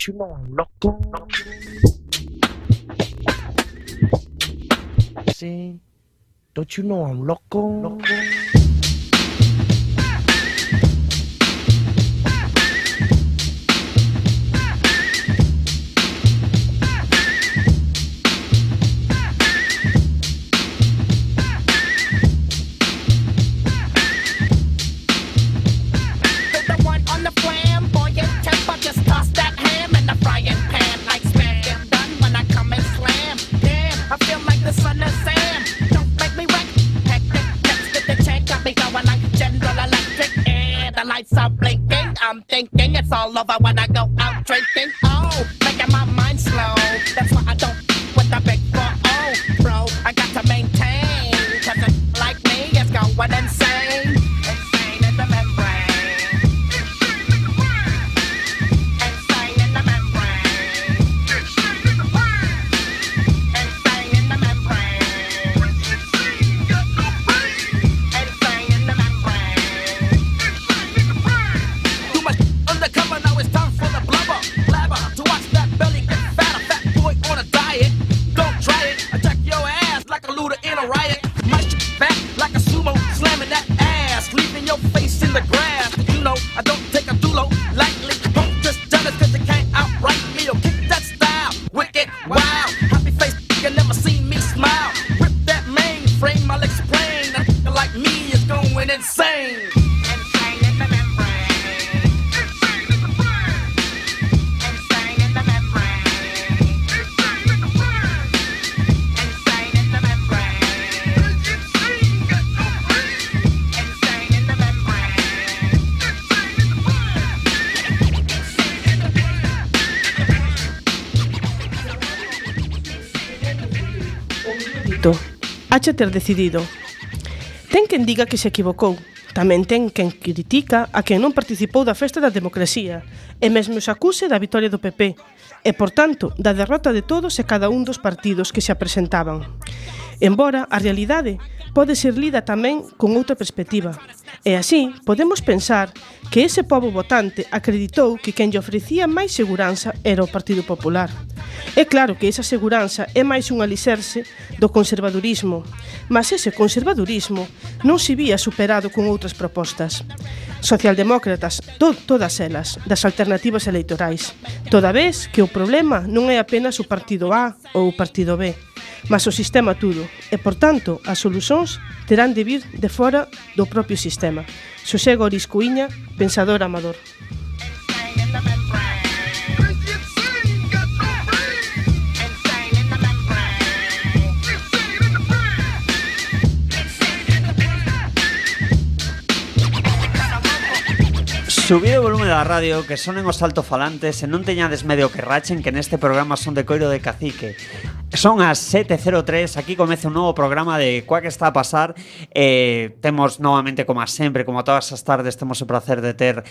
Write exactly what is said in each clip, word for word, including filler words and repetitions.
Don't you know I'm loco? See? Don't you know I'm loco? Loco. I'm thinking it's all over when I go out drinking. Oh, making my mind slow. That's why I don't with the big four. Oh, bro, I got to maintain. Cause it like me is going insane. Insane in the membrane. Insane in the membrane. Insane in the membrane. Insane in the membrane. Insane in the membrane. Too much undercover, now it's time for the blubber. Blabber, to watch that belly get fatter. Fat boy on a diet, don't try it. Attack your ass like a looter in a riot. My shit fat like a sumo, slamming that ass, leaving your face in the grass. You know, I don't take a dulo lightly. Don't just jealous cause you can't outright me or kick that style. Wicked, wow, happy face, you never seen me smile. Rip that mainframe, I'll explain. A nigga like me is going insane. Insane in the membrane. Insane in the brain. Insane in the membrane. Insane in the brain. Insane in the membrane. Insane got no brain. Insane in the membrane. Insane in the brain. Insane in the Dito, hache ter decidido. Ten quen diga que se equivocou. Tamén ten quen critica a quen non participou da festa da democracia e mesmo se acuse da vitoria do P P e, por tanto, da derrota de todos e cada un dos partidos que se apresentaban. Embora a realidade pode ser lida tamén con outra perspectiva. E así podemos pensar que ese pobo votante acreditou que quen lle ofrecía máis seguranza era o Partido Popular. É claro que esa seguranza é máis un alicerce do conservadurismo, mas ese conservadurismo non se vía superado con outras propostas. Socialdemócratas, to todas elas, das alternativas electorais, toda vez que o problema non é apenas o Partido A ou o Partido B, mas o sistema tudo, e, por tanto, as solucións terán de vir de fora do propio sistema. Xosé Goris Cuíña, pensador amador. Subido o volume da radio, que sonen os altofalantes e non teñades medio que rachen, que neste programa son de coiro de cacique. Son as sete e cero tres, aquí comeza un novo programa de Cuá que está a pasar. eh, Temos novamente, como a sempre, como a todas as tardes, temos o placer de ter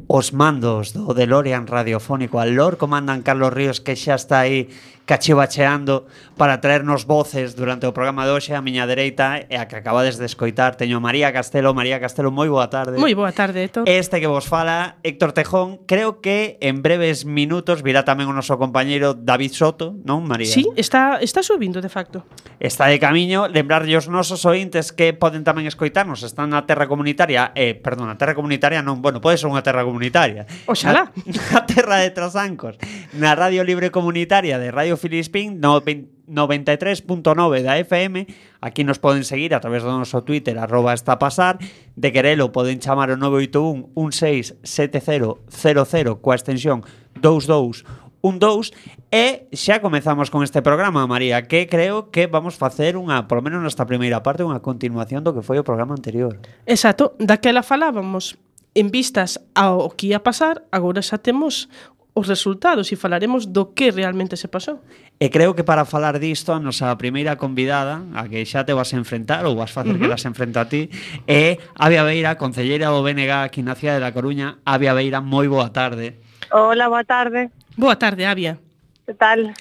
os mandos do DeLorean radiofónico al Lord comandan Carlos Ríos, que xa está aí cachivacheando para traernos voces durante o programa de hoxe. A miña dereita e a que acabades de escoitar teño María Castelo. María Castelo, moi boa tarde. Moi boa tarde, Héctor. Este que vos fala, Héctor Tejón. Creo que en breves minutos virá tamén o noso compañeiro David Soto, non, María? Sí, está, está subindo, de facto. Está de camiño. Lembrarlle os nosos ointes que poden tamén escoitarnos. Están na terra comunitaria, eh, perdón, a terra comunitaria non, bueno, pode ser unha terra comunitaria. Oxalá. Na, na terra de Trasancos, na Radio Libre Comunitaria de Radio Filispín, no, noventa e tres punto nove da F M. Aquí nos poden seguir a través do noso Twitter, arroba está a pasar. De querelo poden chamar o nove oito un, un seis sete cero cero cero coa extensión dous dous un dous. E xa comezamos con este programa, María, que creo que vamos facer unha, por lo menos nesta primeira parte, unha continuación do que foi o programa anterior. Exacto, daquela falábamos en vistas ao que ia pasar, agora xa temos os resultados e falaremos do que realmente se pasou. E creo que para falar disto, a nosa primeira convidada, a que xa te vas a enfrentar ou vas facer uh-huh. que las enfrenta a ti, é Avia Beira, concelleira do B N G aquí na cidade da Coruña. Avia Beira, moi boa tarde. Hola, boa tarde. Boa tarde, Avia. Que tal?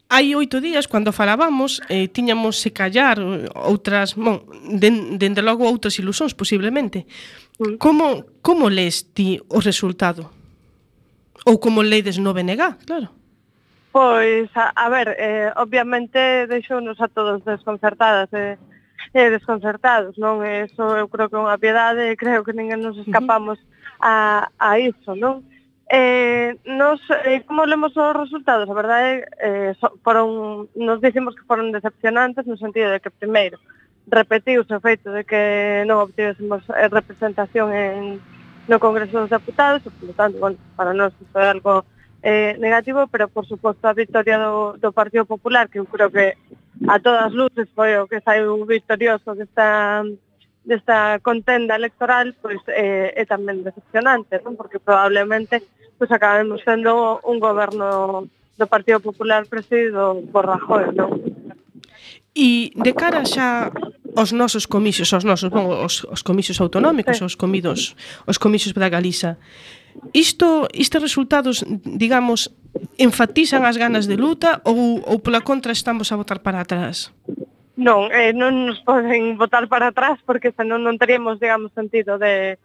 Hai oito días, cando falábamos, eh, tiñamos se callar outras, bon, den, dende logo outras ilusóns, posiblemente. Mm. Como, como les ti o resultado? Ou como leides no B N G, claro. Pois, a, a ver, eh, obviamente deixounos a todos desconcertadas e eh, desconcertados, non? Eso eu creo que é unha piedade e creo que ninguén nos escapamos a, a iso, non? Eh, nos, eh, como lemos os resultados? A verdade, eh, so, foron, nos dicimos que foron decepcionantes no sentido de que, primeiro, repetiuse o feito de que non obtivésemos eh, representación en, no Congreso dos Deputados, e, por tanto, bueno, para nós isto é algo eh, negativo, pero, por suposto, a victoria do, do Partido Popular, que eu creo que a todas luces foi o que saiu victorioso desta, desta contenda electoral, pois eh, é tamén decepcionante, non? Porque probablemente pois acabemos sendo un goberno do Partido Popular presidido por Rajoy, non? E de cara xa aos nosos comicios, aos nosos, bon, os, os comicios autonómicos, Sí. os comidos, os comicios da Galiza, isto, estes resultados, digamos, enfatizan as ganas de luta ou, ou pola contra estamos a botar para atrás? Non, eh, non nos poden botar para atrás porque senón non teríamos, digamos, sentido de,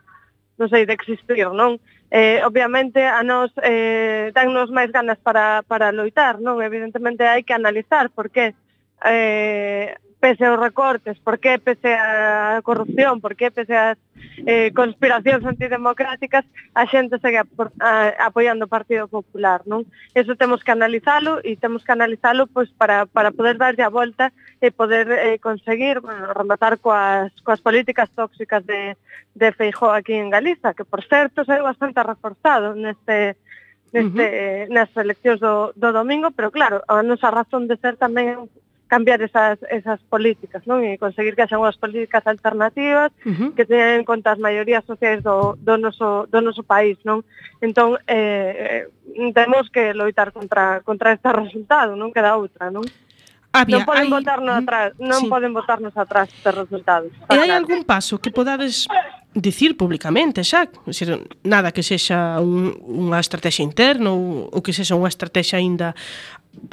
non sei, de existir, non? Eh, obviamente a nós eh, dannos máis ganas para, para loitar, non? Evidentemente hai que analizar por que eh, pese aos recortes, por que pese a corrupción, por que pese as eh, conspiracións antidemocráticas a xente segue apor, a, apoiando o Partido Popular, non? Eso temos que analizalo e temos que analizalo pois, para, para poder darlle a volta e poder eh, conseguir, bueno, rematar coas, coas políticas tóxicas de, de Feijóo aquí en Galiza, que por certo é bastante reforzado neste neste, uh -huh. nas eleccións do, do domingo, pero claro, a nosa razón de ser tamén cambiar esas, esas políticas, non? E conseguir que haxa unhas políticas alternativas uh -huh. que teñan en conta as maiorías sociais do, do, noso, do noso país, non? Entón, eh, temos que loitar contra, contra este resultado, non queda outra, non? Había, non poden hai... botarnos atrás, non sí. poden botarnos atrás estes resultados. E hai algún paso que podades dicir públicamente, xa? Decir, nada que sexa un, unha estrategia interna ou, ou que sexa unha estrategia aínda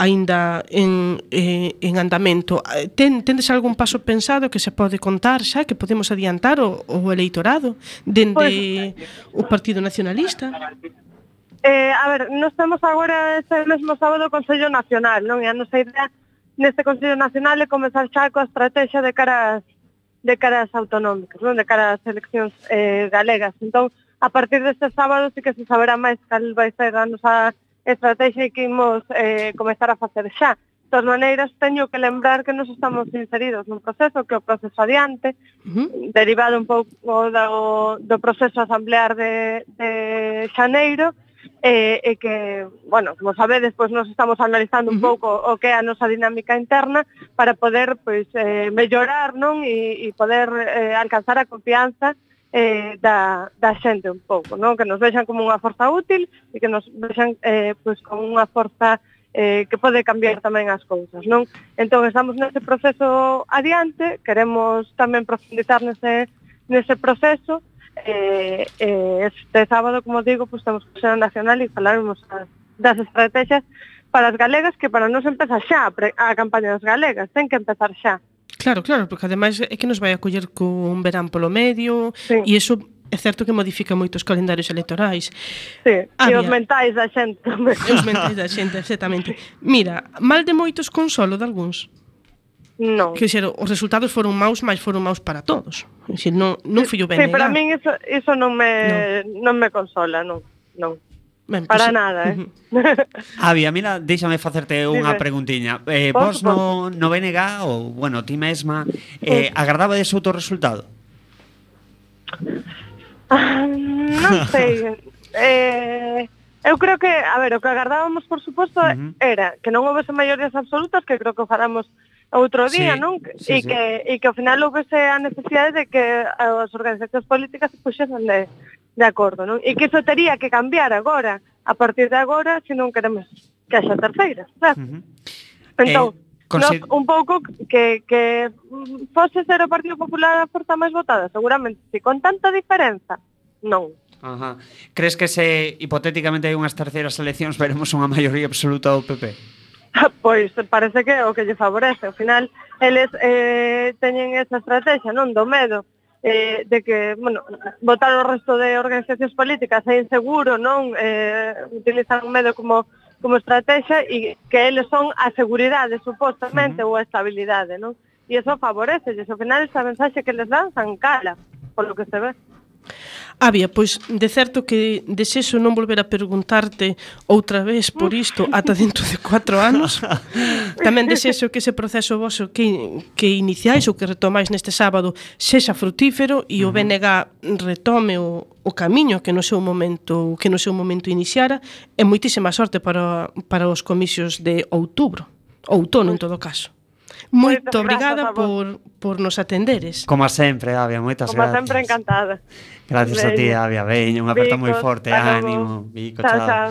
aínda en, eh, en andamento. Ten, tendes algún paso pensado que se pode contar xa, que podemos adiantar o, o eleitorado dende pues, o Partido Nacionalista? Eh, a ver, nós temos agora ese mesmo sábado o Consello Nacional, non? E a nosa idea neste Consello Nacional é comezar xa coa estrategia de cara ás, de cara ás autonómicas, non? De cara ás eleccións eh, galegas. Entón, a partir deste sábado sí que se saberá máis cal vai ser a nosa estrategia que imos eh, comezar a facer xa. De todas maneiras, teño que lembrar que nos estamos inseridos nun proceso que é o proceso adiante, uh -huh. derivado un pouco do, do proceso asamblear de, de xaneiro, e eh, eh, que, bueno, como sabedes, pois nos estamos analizando un pouco o que é a nosa dinámica interna para poder, pois, eh, mellorar, non? E, e poder eh, alcanzar a confianza eh, da, da xente un pouco, non? Que nos vexan como unha forza útil e que nos vexan eh, pois, como unha forza eh, que pode cambiar tamén as cousas, non? Entón, estamos nese proceso adiante, queremos tamén profundizar nese, nese proceso. Eh, eh, este sábado, como digo, pues temos Consello Nacional e falaremos as, das estrategias para as galegas, que para nos empezar xa a campaña das galegas, ten que empezar xa. Claro, claro, porque ademais é que nos vai a coller con un verán polo medio, sí. E iso é certo que modifica moitos calendarios electorais. Sí, e os mentais da xente tamén. E os mentais da xente, exactamente. Mira, mal de moitos consolo de algúns. Non. Que ser, os resultados foron maus, mas foron maus para todos. É dicir, non, non fillo ben. Sí, para min iso, iso non me non. non me consola, non, non. Ben, para pues, nada, eh. Uh-huh. Avia, mira, déxame facerte unha Dime. preguntiña. Eh, vos no, no B N G, ou, bueno, ti mesma, eh, agardabades outro resultado? Ah, non sei. eh, eu creo que, a ver, o que agardábamos, por suposto, uh-huh. era que non houvese maiorías absolutas, que creo que o faramos outro día, sí, non? Sí, e, sí. que, e que ao final houvese a necesidade de que as organizacións políticas se puxesen de, de acordo, non? E que iso tería que cambiar agora, a partir de agora, se non queremos que haxa terceiras, claro. Uh-huh. Entón, eh, consi- nos, un pouco que, que fose ser o Partido Popular a forza máis votada, seguramente, si con tanta diferenza, non. Ajá. Crees que se hipotéticamente hai unhas terceiras eleccións veremos unha maioría absoluta do P P? Pois parece que é o que lle favorece. Ao final, eles eh, teñen esa estrategia, non? Do medo. eh, de que, bueno, votar o resto de organizacións políticas é inseguro, non? Eh, utilizan o medo como como estrategia e que eles son a seguridade, supostamente, uh-huh. ou a estabilidade, non? E iso favorece, e ao final esa mensaxe que les dan san cala, polo que se ve. Avia, pois de certo que desexo non volver a preguntarte outra vez por isto ata dentro de cuatro anos. Tamén desexo que ese proceso voso que, que iniciais ou que retomais neste sábado sexa frutífero e o B N G retome o, o camiño que no seu momento que no seu momento iniciara, e moitísima sorte para, para os comicios de outubro, outono en todo caso. Moito obrigada por, por nos atenderes. Como sempre, Avia, moitas Como gracias. sempre, encantada. Gracias a ti, Avia. Veña, unha aperta moi forte, ánimo. Vico, chao, chao.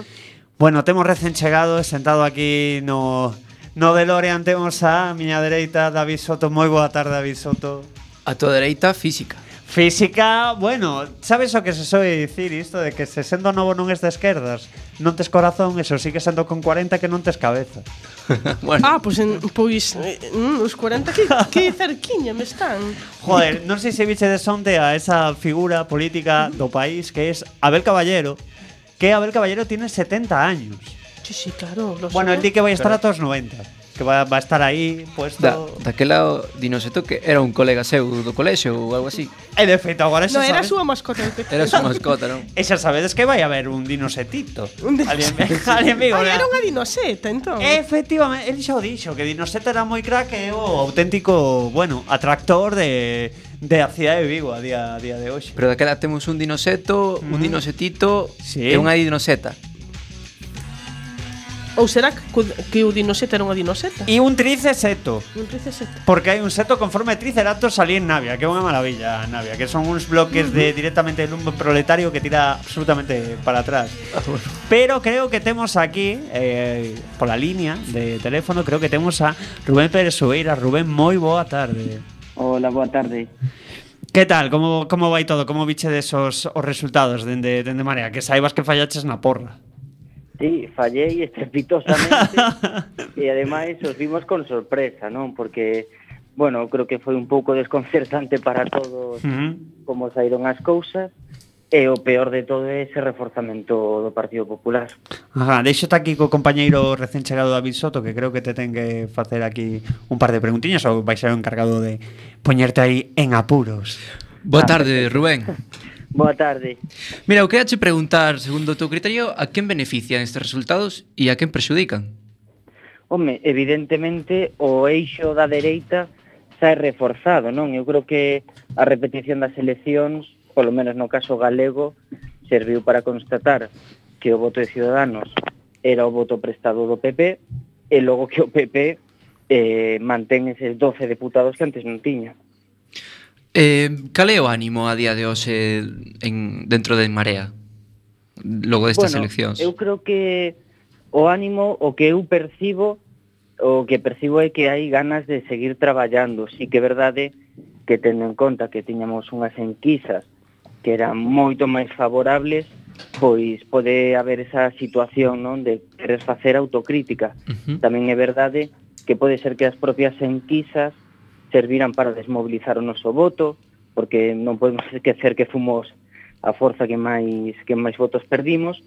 Bueno, temos recén chegado, sentado aquí no, no DeLorean, temos a miña dereita, David Soto. Moi boa tarde, David Soto. A tua dereita, física. Física, bueno, sabes o que se soe dicir isto de que se sendo novo non es de esquerdas, non tes corazón, eso sigue sendo con cuarenta que non tes cabeza. Bueno. Ah, pois pues, pois pues, os cuarenta que, que cerquiña me están. Joder, non sei se biche de sonte a esa figura política do país que es Abel Caballero, que Abel Caballero tiene setenta años. Sí, sí, claro. Lo bueno, el di que vai estar a todos noventa. Que va, va a estar aí puesto... Da, daquela dinoseto que era un colega seu do colexio ou algo así. E de feito, agora xa no, era sabes... a súa mascota. Era a súa mascota, non? E xa sabedes que vai haber un dinosetito. Un dinosetito. Alguén me Ai, era unha dinoseta, entón. Efectivamente, ele xa o dixo, que dinoseta era moi crack e o auténtico, bueno, atractor de... de a cidade de Vigo a día, a día de hoxe. Pero daquela temos un dinoseto, mm. un dinosetito sí. e unha dinoseta. Ou será que, que o dinoseta era unha dinoseta? E un triceseto. Un triceseto. Porque hai un seto con forma de triceratops ali en Navia, que é unha maravilla, Navia, que son uns bloques uh -huh. de directamente de lumbo proletario que tira absolutamente para atrás. Ah, bueno. Pero creo que temos aquí, eh, pola línea de teléfono, creo que temos a Rubén Pérez Sueira. Rubén, moi boa tarde. Hola, boa tarde. Que tal? Como, como vai todo? Como biche desos os resultados dende, dende Marea? Que saibas que fallaches na porra. Sí, fallei estrepitosamente e ademais os vimos con sorpresa, non? Porque, bueno, creo que foi un pouco desconcertante para todos uh-huh. como saíron as cousas e o peor de todo é ese reforzamento do Partido Popular. Ajá, deixote aquí co compañeiro recén chegado David Soto, que creo que te ten que facer aquí un par de preguntiñas ou vai ser o encargado de poñerte aí en apuros. Boa tarde, Rubén. Boa tarde. Mira, eu queria che preguntar, segundo o teu criterio, a quen benefician estes resultados e a quen prexudican? Home, evidentemente o eixo da dereita xa é reforzado, non? Eu creo que a repetición das eleccións, polo menos no caso galego, serviu para constatar que o voto de Ciudadanos era o voto prestado do P P e logo que o P P eh, mantén eses doce deputados que antes non tiña. Eh, cal é o ánimo a día de hoxe en, dentro de En Marea? Logo destas bueno, eleccións. Eu creo que o ánimo, o que eu percibo, o que percibo é que hai ganas de seguir traballando. Si que é verdade que tendo en conta que tiñamos unhas enquisas que eran moito máis favorables, pois pode haber esa situación, non, de querer facer autocrítica. Uh-huh. Tamén é verdade que pode ser que as propias enquisas serviran para desmobilizar o noso voto, porque non podemos esquecer que fomos a forza que máis que máis votos perdimos,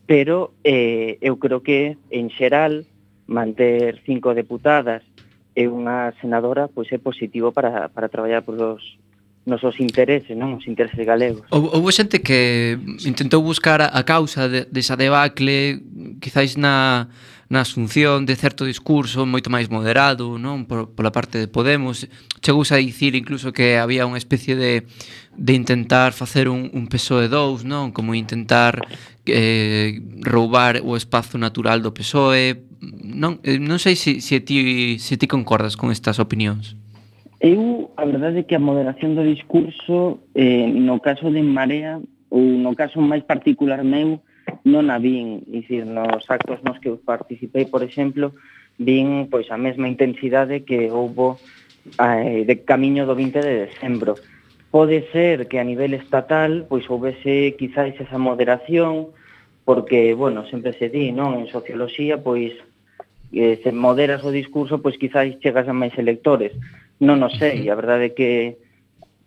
pero eh, eu creo que, en xeral, manter cinco deputadas e unha senadora pois é positivo para, para traballar por os nosos intereses, non? Os intereses galegos. Houve xente que intentou buscar a causa de, desa debacle, quizáis na... na asunción de certo discurso moito máis moderado, non, por, pola parte de Podemos. Chegouse a dicir incluso que había unha especie de, de intentar facer un, un P S O E dous, non, como intentar eh, roubar o espazo natural do P S O E. Non, non sei se, se, ti, se ti concordas con estas opinións. Eu, a verdade é que a moderación do discurso, eh, no caso de En Marea, ou no caso máis particular meu, non a vin, dicir, nos actos nos que eu participei, por exemplo, vin pois a mesma intensidade que houbo eh, de camiño do vinte de decembro. Pode ser que a nivel estatal pois houvese quizáis esa moderación, porque, bueno, sempre se di, non, en socioloxía, pois eh, se moderas o discurso, pois quizáis chegas a máis electores. Non o sei, a verdade é que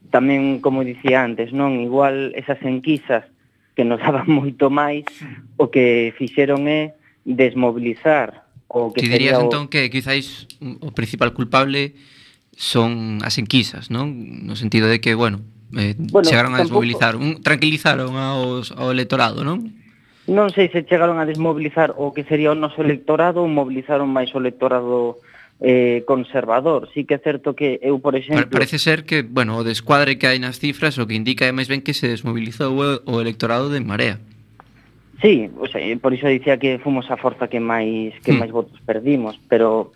tamén, como dicía antes, non, igual esas enquisas que nos daban moito máis, o que fixeron é desmobilizar o que Ti dirías sería o... entón que quizáis o principal culpable son as enquisas, non? No sentido de que, bueno, eh, Bueno, chegaron a tampouco- desmobilizar, un, tranquilizaron aos, ao electorado, non? Non sei se chegaron a desmobilizar o que sería o noso electorado ou mobilizaron máis o electorado eh, conservador. Sí que é certo que eu, por Pa- exemplo... Parece ser que, bueno, o descuadre que hai nas cifras o que indica é máis ben que se desmobilizou o, o electorado de Marea. Sí, o sea, por iso dicía que fomos a forza que máis que Hmm. máis votos perdimos, pero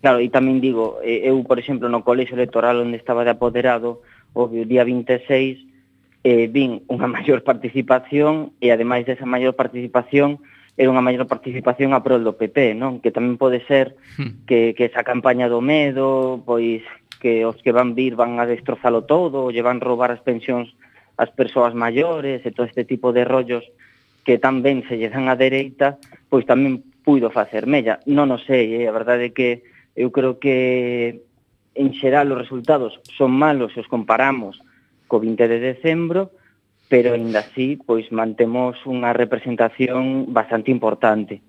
claro, e tamén digo, eh, eu, por exemplo, no colexio electoral onde estaba de apoderado, o día vinte e seis, eh, vin unha maior participación e, ademais desa maior participación, era unha maior participación a prol do P P, non? Que tamén pode ser Hmm. que, que esa campaña do medo, pois que os que van vir van a destrozalo todo, ou lle van roubar as pensións ás persoas maiores e todo este tipo de rollos que tan ben se lle dan á dereita, pois tamén puido facer mella. Non o sei, eh? A verdade é que eu creo que en xeral os resultados son malos se os comparamos co vinte de decembro, pero ainda así pois mantemos unha representación bastante importante.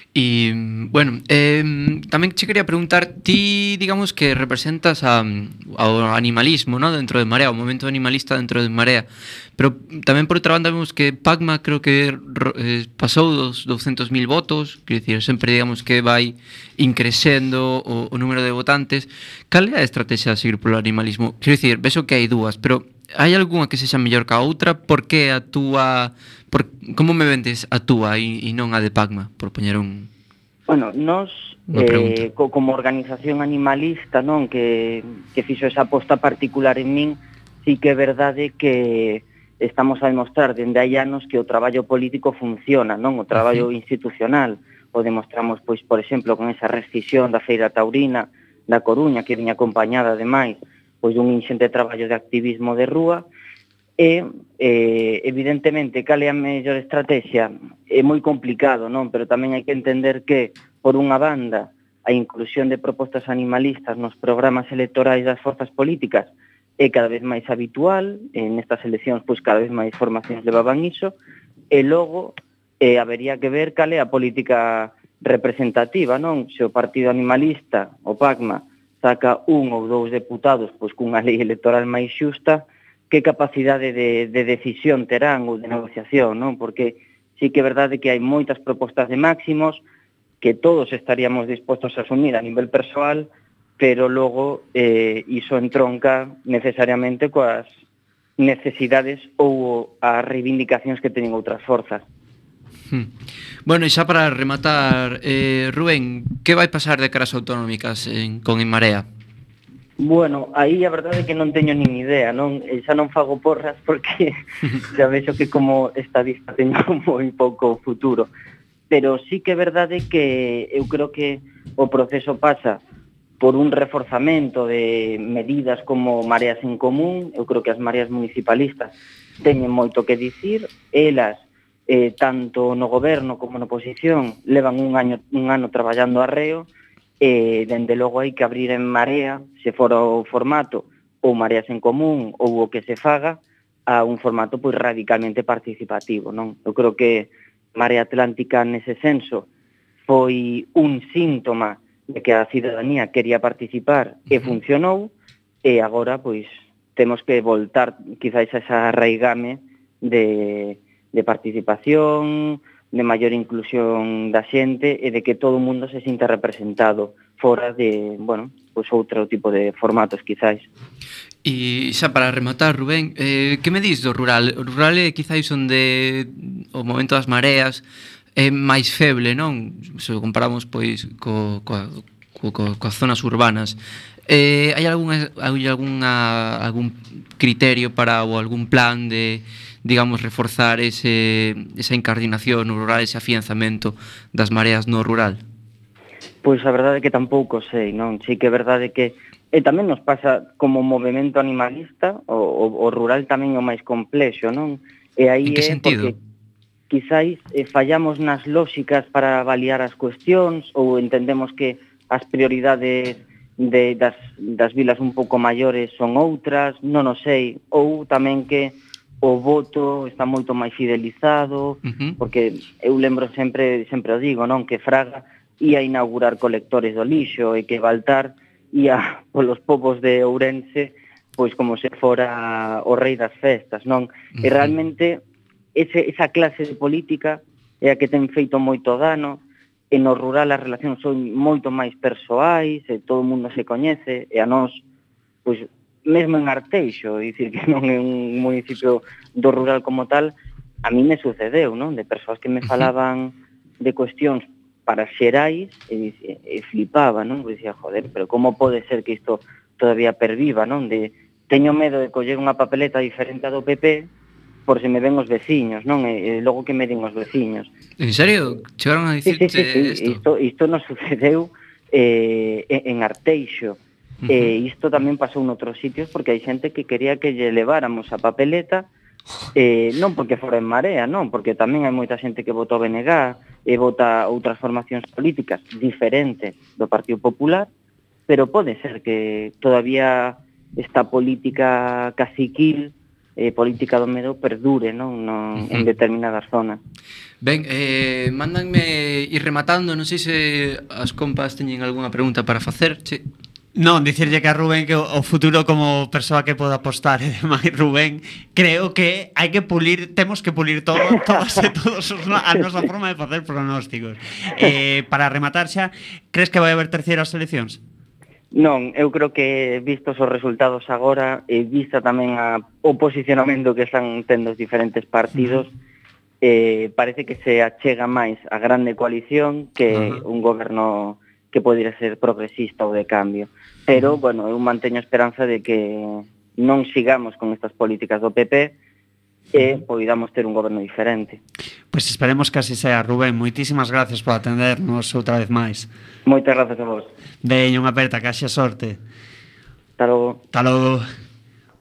E, bueno, eh, tamén che quería preguntar, ti, digamos que representas a, ao animalismo, ¿no? Dentro de Marea, o movimento animalista dentro de Marea, pero tamén por outra banda vemos que Pacma creo que eh, pasou dos douscentos mil votos, quer dicir, sempre digamos que vai increcendo o, o número de votantes. Cal é a estrategia a seguir polo animalismo? Quer dicir, vexo que hai dúas, pero hai algunha que sexa mellor que a outra? Por que a túa... Por, como me vendes a túa e, e non a de Pacma, por poñer un... Bueno, nos, eh, co, como organización animalista, non, que, que fixo esa aposta particular en min, sí que é verdade que estamos a demostrar dende hai anos que o traballo político funciona, non? O traballo institucional. O demostramos, pois, por exemplo, con esa rescisión da Feira Taurina da Coruña, que viña acompañada, ademais, pois dun inxente traballo de activismo de rúa. E, eh, evidentemente, cal é a mellor estrategia? É moi complicado, non? Pero tamén hai que entender que, por unha banda, a inclusión de propostas animalistas nos programas electorais das forzas políticas é cada vez máis habitual, en estas eleccións, pois cada vez máis formacións levaban iso, e logo eh, habería que ver cal é a política representativa, non? Se o partido animalista, o Pacma, saca un ou dous deputados pois cunha lei electoral máis xusta, que capacidade de, de decisión terán ou de negociación, non? Porque sí que é verdade que hai moitas propostas de máximos que todos estaríamos dispostos a asumir a nivel persoal, pero logo eh, iso entronca necesariamente coas necesidades ou as reivindicacións que teñen outras forzas. Hmm. Bueno, e xa para rematar, eh, Rubén, que vai pasar de caras autonómicas en, con En Marea? Bueno, aí a verdade é que non teño nin idea, non? E xa non fago porras porque xa vexo que como estadista teño moi pouco futuro. Pero sí que é verdade que eu creo que o proceso pasa por un reforzamento de medidas como Mareas en Común. Eu creo que as mareas municipalistas teñen moito que dicir. Elas, eh, tanto no goberno como na oposición, levan un año, un ano traballando arreo. E, dende logo, hai que abrir En Marea, se fora o formato ou Mareas en Común ou o que se faga, a un formato pois radicalmente participativo, non? Eu creo que Marea Atlántica nese senso foi un síntoma de que a cidadanía quería participar e funcionou, e agora pois temos que voltar quizáis a esa raigame de, de participación, de maior inclusión da xente e de que todo o mundo se sinta representado fora de, bueno, pois outro tipo de formatos quizáis. E xa para rematar, Rubén, eh, que me dis do rural? O rural é quizáis onde o momento das mareas é máis feble, non? Se o comparamos pois co, coa, co, co, coas zonas urbanas. Eh, hai algunha, hai algunha, algún criterio para ou algún plan de, digamos, reforzar ese, esa incardinación no rural, ese afianzamento das mareas no rural? Pois a verdade é que tampouco sei, non? Sí que é verdade que e tamén nos pasa como movimento animalista, o, o, o rural tamén é o máis complexo, non? E aí en que é sentido? porque quizáis eh, fallamos nas lóxicas para avaliar as cuestións ou entendemos que as prioridades de, das, das vilas un pouco maiores son outras, non o sei, ou tamén que o voto está moito máis fidelizado, Uh-huh. porque eu lembro sempre, sempre o digo, non, que Fraga ia inaugurar colectores do lixo e que Baltar ia polos povos de Ourense pois como se fora o rei das festas, non? Uh-huh. E realmente ese, esa clase de política é a que ten feito moito dano, e no rural as relacións son moito máis persoais, e todo o mundo se coñece, e a nós, pois, mesmo en Arteixo, é dicir que non é un municipio do rural como tal, a mí me sucedeu, non? De persoas que me falaban de cuestións para xerais e, e flipaba, non? Porque dicía, joder, pero como pode ser que isto todavía perviva, non? De teño medo de coller unha papeleta diferente a do P P por se me ven os veciños, non? E, e logo que me den os veciños. En serio? Chegaron a dicirte sí, sí, sí, sí. isto? Isto, isto nos sucedeu eh, en Arteixo. Uh-huh. E isto tamén pasou noutros sitios porque hai xente que quería que lle leváramos a papeleta, eh, non porque fora en Marea, non, porque tamén hai moita xente que votou B N G e vota outras formacións políticas diferentes do Partido Popular, pero pode ser que todavía esta política caciquil, eh, política do medo, perdure, non, non en determinadas zonas. Ben, eh, mándanme ir rematando, non sei se as compas teñen algunha pregunta para facer, che. Non, dicirlle que a Rubén que o o futuro como persoa que poda apostar e demais, Rubén, creo que hai que pulir, temos que pulir todo, todas e todos os, a nosa forma de facer pronósticos. Eh, para rematar xa, crees que vai haber terceiras eleccións? Non, eu creo que vistos os resultados agora e vista tamén a, o posicionamento que están tendo os diferentes partidos, uh-huh. eh, parece que se achega máis a grande coalición que uh-huh. un goberno que podría ser progresista ou de cambio. Pero, uh-huh. bueno, eu manteño a esperanza de que non sigamos con estas políticas do P P e poidamos ter un goberno diferente. Pois pues esperemos que así sea, Rubén. Moitísimas gracias por atendernos outra vez máis. Moitas gracias a vos. Veña, unha aperta, que haxa sorte. Hasta logo. Hasta logo.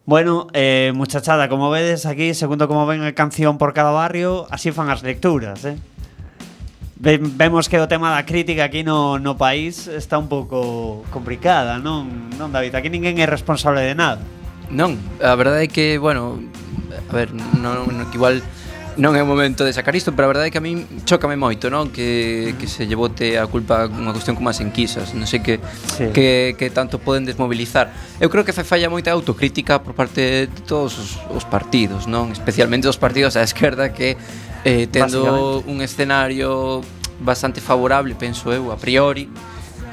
Bueno, eh, muchachada, como vedes aquí, segundo como ven a canción por cada barrio, así fan as lecturas, eh? Vemos que o tema da crítica aquí no, no país está un pouco complicada, non, non, David? Aquí ninguén é responsable de nada. Non, a verdade é que, bueno, a ver, non, non, igual non é o momento de sacar isto, pero a verdade é que a min chócame moito, non? Que, que se lle bote a culpa unha cuestión como as enquisas, non sei que, sí. que, que tanto poden desmobilizar. Eu creo que fai falla moita autocrítica por parte de todos os, os partidos, non? Especialmente os partidos á esquerda que eh, tendo un escenario bastante favorable, penso eu, a priori,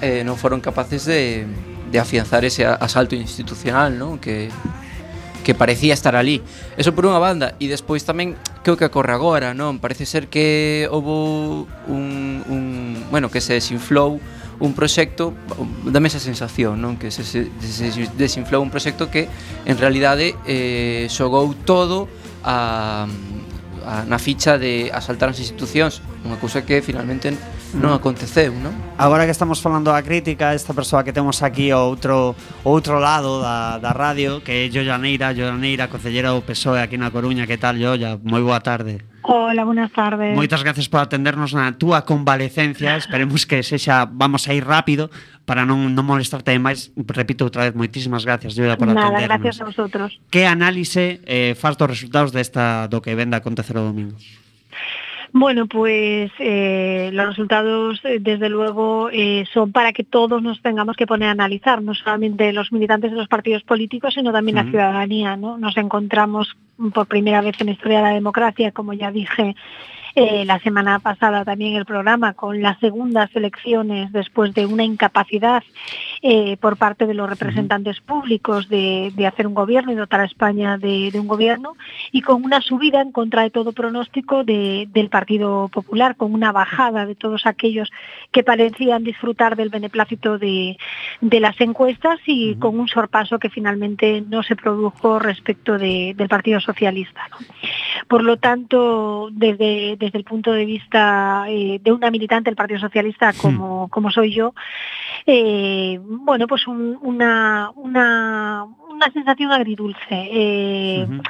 eh, non foron capaces de, de afianzar ese asalto institucional, non? Que, que parecía estar ali. Eso por unha banda. E despois tamén, que o que ocorre agora, non? Parece ser que houve un, un bueno, que se desinflou un proxecto, dame esa sensación, non? Que se, se, se desinflou un proxecto que en realidade eh, xogou todo a A, na ficha de asaltar as institucións, unha cousa que finalmente non aconteceu, non? Agora que estamos falando da crítica, esta persoa que temos aquí ao outro, ao outro lado da, da radio, que é Yolla Neira, Yolla Neira, concellera do P S O E aquí na Coruña. Que tal, Yolla? Moi boa tarde. Hola, buenas tardes. Moitas gracias por atendernos na túa convalecencia. Esperemos que sexa, vamos a ir rápido para non, non molestarte máis. Repito outra vez, moitísimas gracias, Yolla, por Nada, atendernos. Nada, gracias a vosotros. Que análise eh, faz dos resultados desta, do que vende a acontecer o domingo? Bueno, pues eh, los resultados, eh, desde luego, eh, son para que todos nos tengamos que poner a analizar, no solamente los militantes de los partidos políticos, sino también uh-huh. la ciudadanía, ¿no? Nos encontramos por primera vez en la historia de la democracia, como ya dije eh, la semana pasada también en el programa, con las segundas elecciones después de una incapacidad eh, por parte de los representantes públicos de, de hacer un gobierno y dotar a España de, de un gobierno, y con una subida en contra de todo pronóstico de, del Partido Popular, con una bajada de todos aquellos que parecían disfrutar del beneplácito de, de las encuestas, y uh-huh. con un sorpaso que finalmente no se produjo respecto de, del Partido Socialista, ¿no? Por lo tanto, desde, desde el punto de vista eh, de una militante del Partido Socialista como, como soy yo, eh, bueno, pues un, una, una, una sensación agridulce. Eh, uh-huh.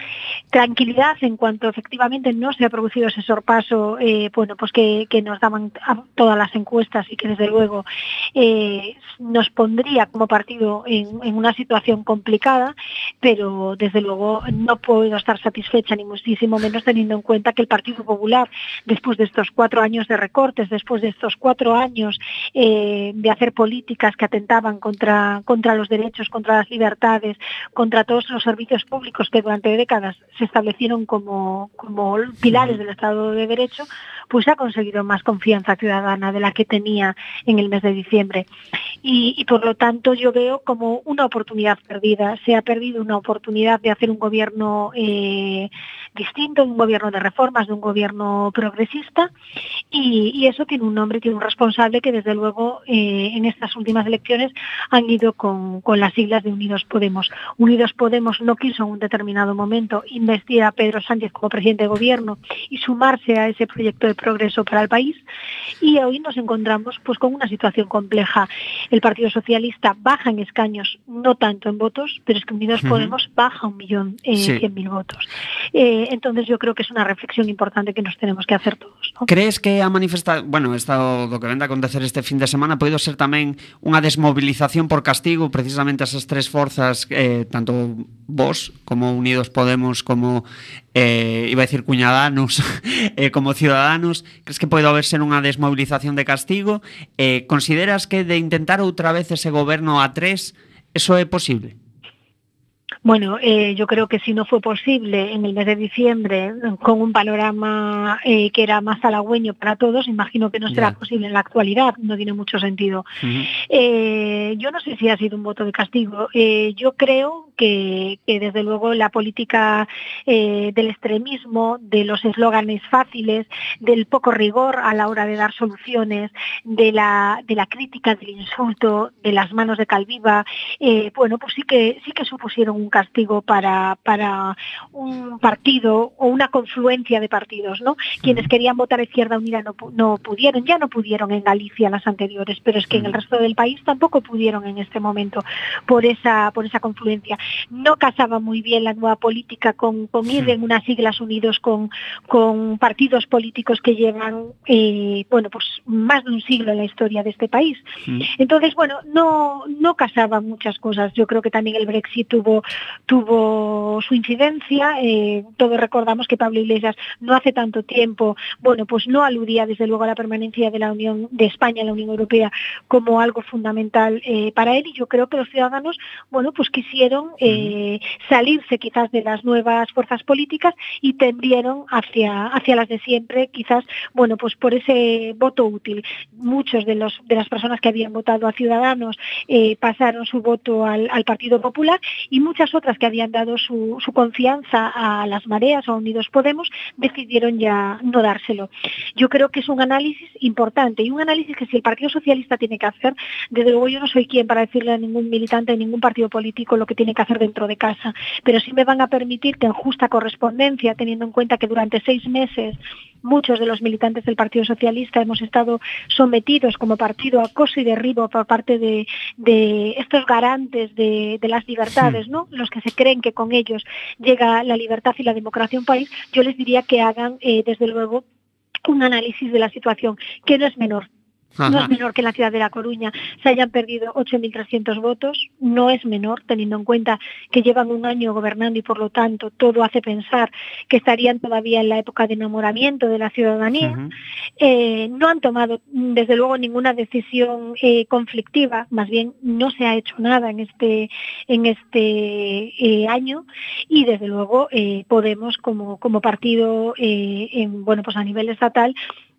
Tranquilidad en cuanto efectivamente no se ha producido ese sorpaso, eh, bueno, pues que, que nos daban todas las encuestas y que desde luego eh, nos pondría como partido en, en una situación complicada, pero desde luego no puedo estar satisfecha ni muchísimo menos teniendo en cuenta que el Partido Popular, después de estos cuatro años de recortes, después de estos cuatro años eh, de hacer políticas que atentaban contra, contra los derechos, contra las libertades, contra todos los servicios públicos que durante décadas se establecieron como, como pilares del Estado de Derecho, pues ha conseguido más confianza ciudadana de la que tenía en el mes de diciembre. Y, y por lo tanto yo veo como una oportunidad perdida. Se ha perdido una oportunidad de hacer un gobierno eh, distinto, un gobierno de reformas, de un gobierno progresista, y, y eso tiene un nombre, tiene un responsable que desde luego eh, en estas últimas elecciones han ido con, con las siglas de Unidos Podemos. Unidos Podemos no quiso en un determinado momento investir a Pedro Sánchez como presidente de gobierno y sumarse a ese proyecto de progreso para el país, y hoy nos encontramos pues con una situación compleja. El Partido Socialista baja en escaños, no tanto en votos, pero es que Unidos uh-huh. Podemos baja un millón eh, sí. cien mil votos. Eh, entonces yo creo que es una reflexión importante que nos tenemos que hacer todos, ¿no? Crees que a manifestar, bueno, esta, lo que vende a acontecer este fin de semana pode ser tamén unha desmovilización por castigo precisamente esas tres forzas, eh, tanto vos como Unidos Podemos como eh, iba a decir Cuñadanos eh, como Ciudadanos? Crees que pode haber ser unha desmovilización de castigo? Eh, consideras que de intentar outra vez ese goberno a tres, eso é posible? Bueno, eh, yo creo que si no fue posible en el mes de diciembre, con un panorama eh, que era más halagüeño para todos, imagino que no será yeah. posible en la actualidad, no tiene mucho sentido. Uh-huh. Eh, yo no sé si ha sido un voto de castigo. Eh, yo creo que, que desde luego la política eh, del extremismo, de los eslóganes fáciles, del poco rigor a la hora de dar soluciones, de la, de la crítica, del insulto, de las manos de Calviva, eh, bueno, pues sí que, sí que supusieron un castigo para, para un partido o una confluencia de partidos, ¿no? Quienes querían votar a Izquierda Unida no, no pudieron, ya no pudieron en Galicia las anteriores, pero es que en el resto del país tampoco pudieron en este momento por esa, por esa confluencia. No casaba muy bien la nueva política con, con ir en unas siglas unidos con, con partidos políticos que llevan eh, bueno, pues más de un siglo en la historia de este país. Entonces, bueno, no, no casaban muchas cosas. Yo creo que también el Brexit tuvo tuvo su incidencia. Eh, todos recordamos que Pablo Iglesias no hace tanto tiempo, bueno, pues no aludía desde luego a la permanencia de la Unión de España en la Unión Europea como algo fundamental eh, para él, y yo creo que los ciudadanos, bueno, pues quisieron eh, salirse quizás de las nuevas fuerzas políticas y tendieron hacia, hacia las de siempre, quizás, bueno, pues por ese voto útil. Muchos de los de las personas que habían votado a Ciudadanos eh, pasaron su voto al, al Partido Popular, y muchas otras que habían dado su, su confianza a las mareas o a Unidos Podemos decidieron ya no dárselo. Yo creo que es un análisis importante, y un análisis que si el Partido Socialista tiene que hacer, desde luego yo no soy quien para decirle a ningún militante de ningún partido político lo que tiene que hacer dentro de casa, pero sí me van a permitir que en justa correspondencia, teniendo en cuenta que durante seis meses muchos de los militantes del Partido Socialista hemos estado sometidos como partido a acoso y derribo por parte de, de estos garantes de, de las libertades, ¿no? Los que se creen que con ellos llega la libertad y la democracia a un país, yo les diría que hagan, eh, desde luego, un análisis de la situación, que no es menor. Ajá. No es menor que en la ciudad de La Coruña se hayan perdido ocho mil trescientos votos, no es menor, teniendo en cuenta que llevan un año gobernando y por lo tanto todo hace pensar que estarían todavía en la época de enamoramiento de la ciudadanía. Uh-huh. Eh, no han tomado desde luego ninguna decisión eh, conflictiva, más bien no se ha hecho nada en este, en este eh, año, y desde luego eh, Podemos como, como partido eh, en, bueno, pues a nivel estatal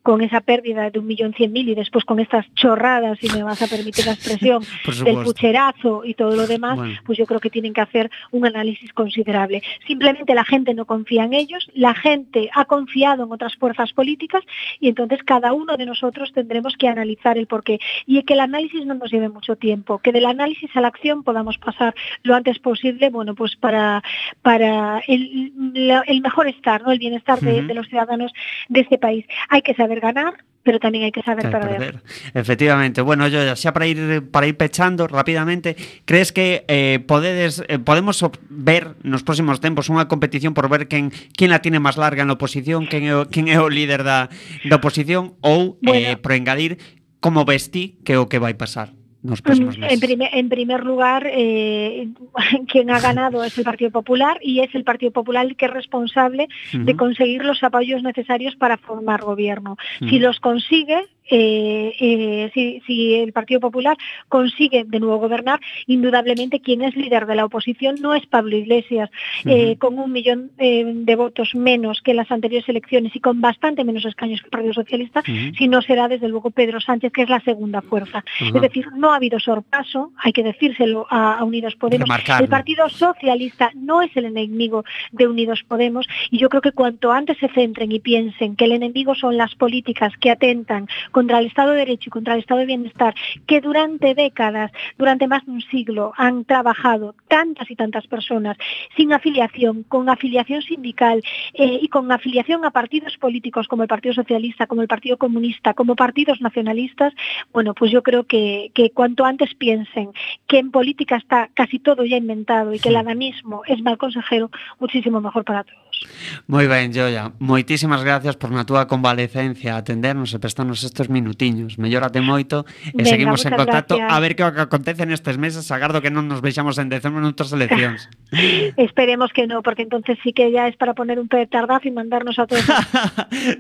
con esa pérdida de un millón cien mil y después con estas chorradas, si me vas a permitir la expresión, del pucherazo y todo lo demás, bueno. Pues yo creo que tienen que hacer un análisis considerable. Simplemente la gente no confía en ellos, la gente ha confiado en otras fuerzas políticas y entonces cada uno de nosotros tendremos que analizar el porqué. Y que el análisis no nos lleve mucho tiempo, que del análisis a la acción podamos pasar lo antes posible, bueno, pues para, para el, el mejor estar, ¿no? El bienestar de, uh-huh. de los ciudadanos de este país. Hay que saber ganar, pero también hay que saber perder. perder. Efectivamente. Bueno, yo ya para ir para ir pechando rapidamente, crees que eh, podedes, eh, podemos ver nos próximos tempos unha competición por ver quen quen la tiene máis larga na oposición, quen é o, quen é o líder da, da oposición ou, bueno, eh, por engadir, como ves ti que é o que vai pasar nos próximos meses? En primer, en primer lugar, eh, quien ha ganado es el Partido Popular y es el Partido Popular el que es responsable uh-huh. de conseguir los apoyos necesarios para formar gobierno. Uh-huh. Si los consigue, Eh, eh, si, si el Partido Popular consigue de nuevo gobernar, indudablemente quien es líder de la oposición no es Pablo Iglesias, uh-huh. eh, con un millón eh, de votos menos que en las anteriores elecciones y con bastante menos escaños que el Partido Socialista, uh-huh. sino será desde luego Pedro Sánchez, que es la segunda fuerza. Uh-huh. Es decir, no ha habido sorpaso, hay que decírselo a, a Unidos Podemos. Remarcarlo. El Partido Socialista no es el enemigo de Unidos Podemos y yo creo que cuanto antes se centren y piensen que el enemigo son las políticas que atentan contra el Estado de Derecho y contra el Estado de Bienestar, que durante décadas, durante más de un siglo, han trabajado tantas y tantas personas sin afiliación, con afiliación sindical eh, y con afiliación a partidos políticos como el Partido Socialista, como el Partido Comunista, como partidos nacionalistas, bueno, pues yo creo que, que cuanto antes piensen que en política está casi todo ya inventado y que el adanismo es mal consejero, muchísimo mejor para todos. Moi ben, Joia, moitísimas gracias por na túa convalecencia atendernos e prestarnos estes minutiños. Mellórate moito e venga, seguimos en contacto gracias. A ver que o que acontece nestes meses. Agardo que non nos vexamos en decembro noutras eleccións. Esperemos que no, porque entonces sí que ya es para poner un petardazo y mandarnos a todos.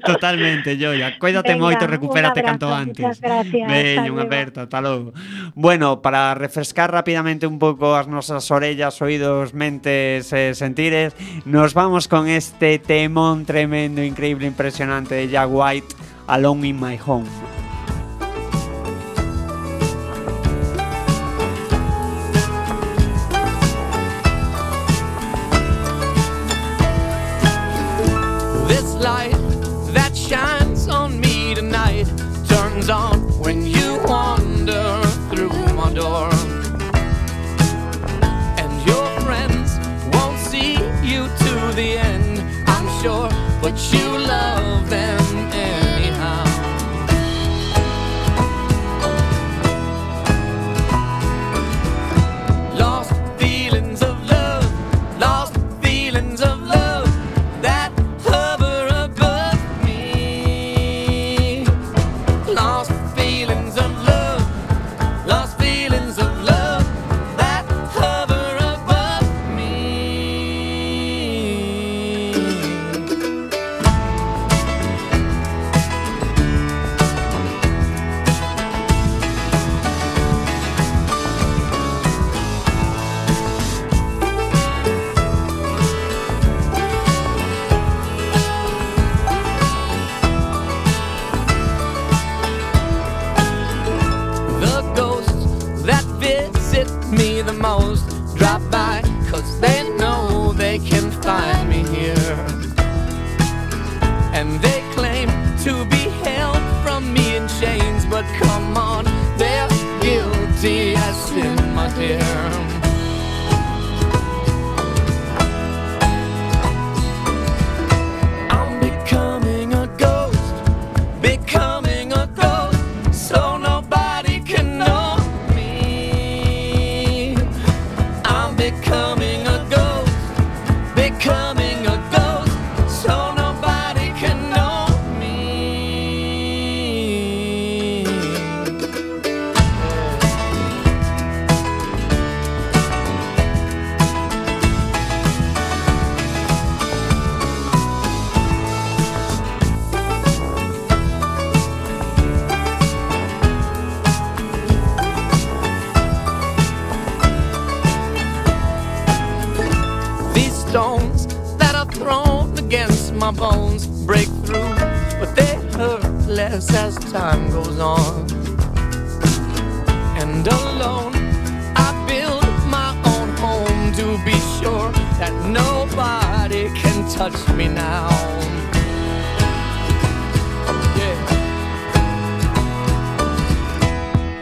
Totalmente, Joia. Cuídate venga, moito e recupérate abrazo, canto antes. Muchas gracias. Veño, unha aperta, ata logo. Bueno, para refrescar rapidamente un pouco as nosas orellas, oídos, mentes e sentires, nos vamos con este temón tremendo, increíble, impresionante de Jack White, Alone in My Home. This light that shines on me tonight turns on when you wander through my door. And your friends won't see you to the end, I'm sure, but you love them anyhow. Lost feelings of love, lost feelings of love that hover above me. Lost feelings of love, lost feelings of love that hover above me. The ghosts that visit me the most drop by 'cause they know they can find me here. And they claim to be held from me in chains, but come on, they're guilty as sin, my dear. I'm becoming a ghost, becoming a ghost, so nobody can know me. I'm becoming a ghost, becoming a ghost, so nobody can know me. These stones that are thrown against my bones break through, but they hurt less loneliness as time goes on. And alone I build my own home to be sure that nobody can touch me now. Yeah.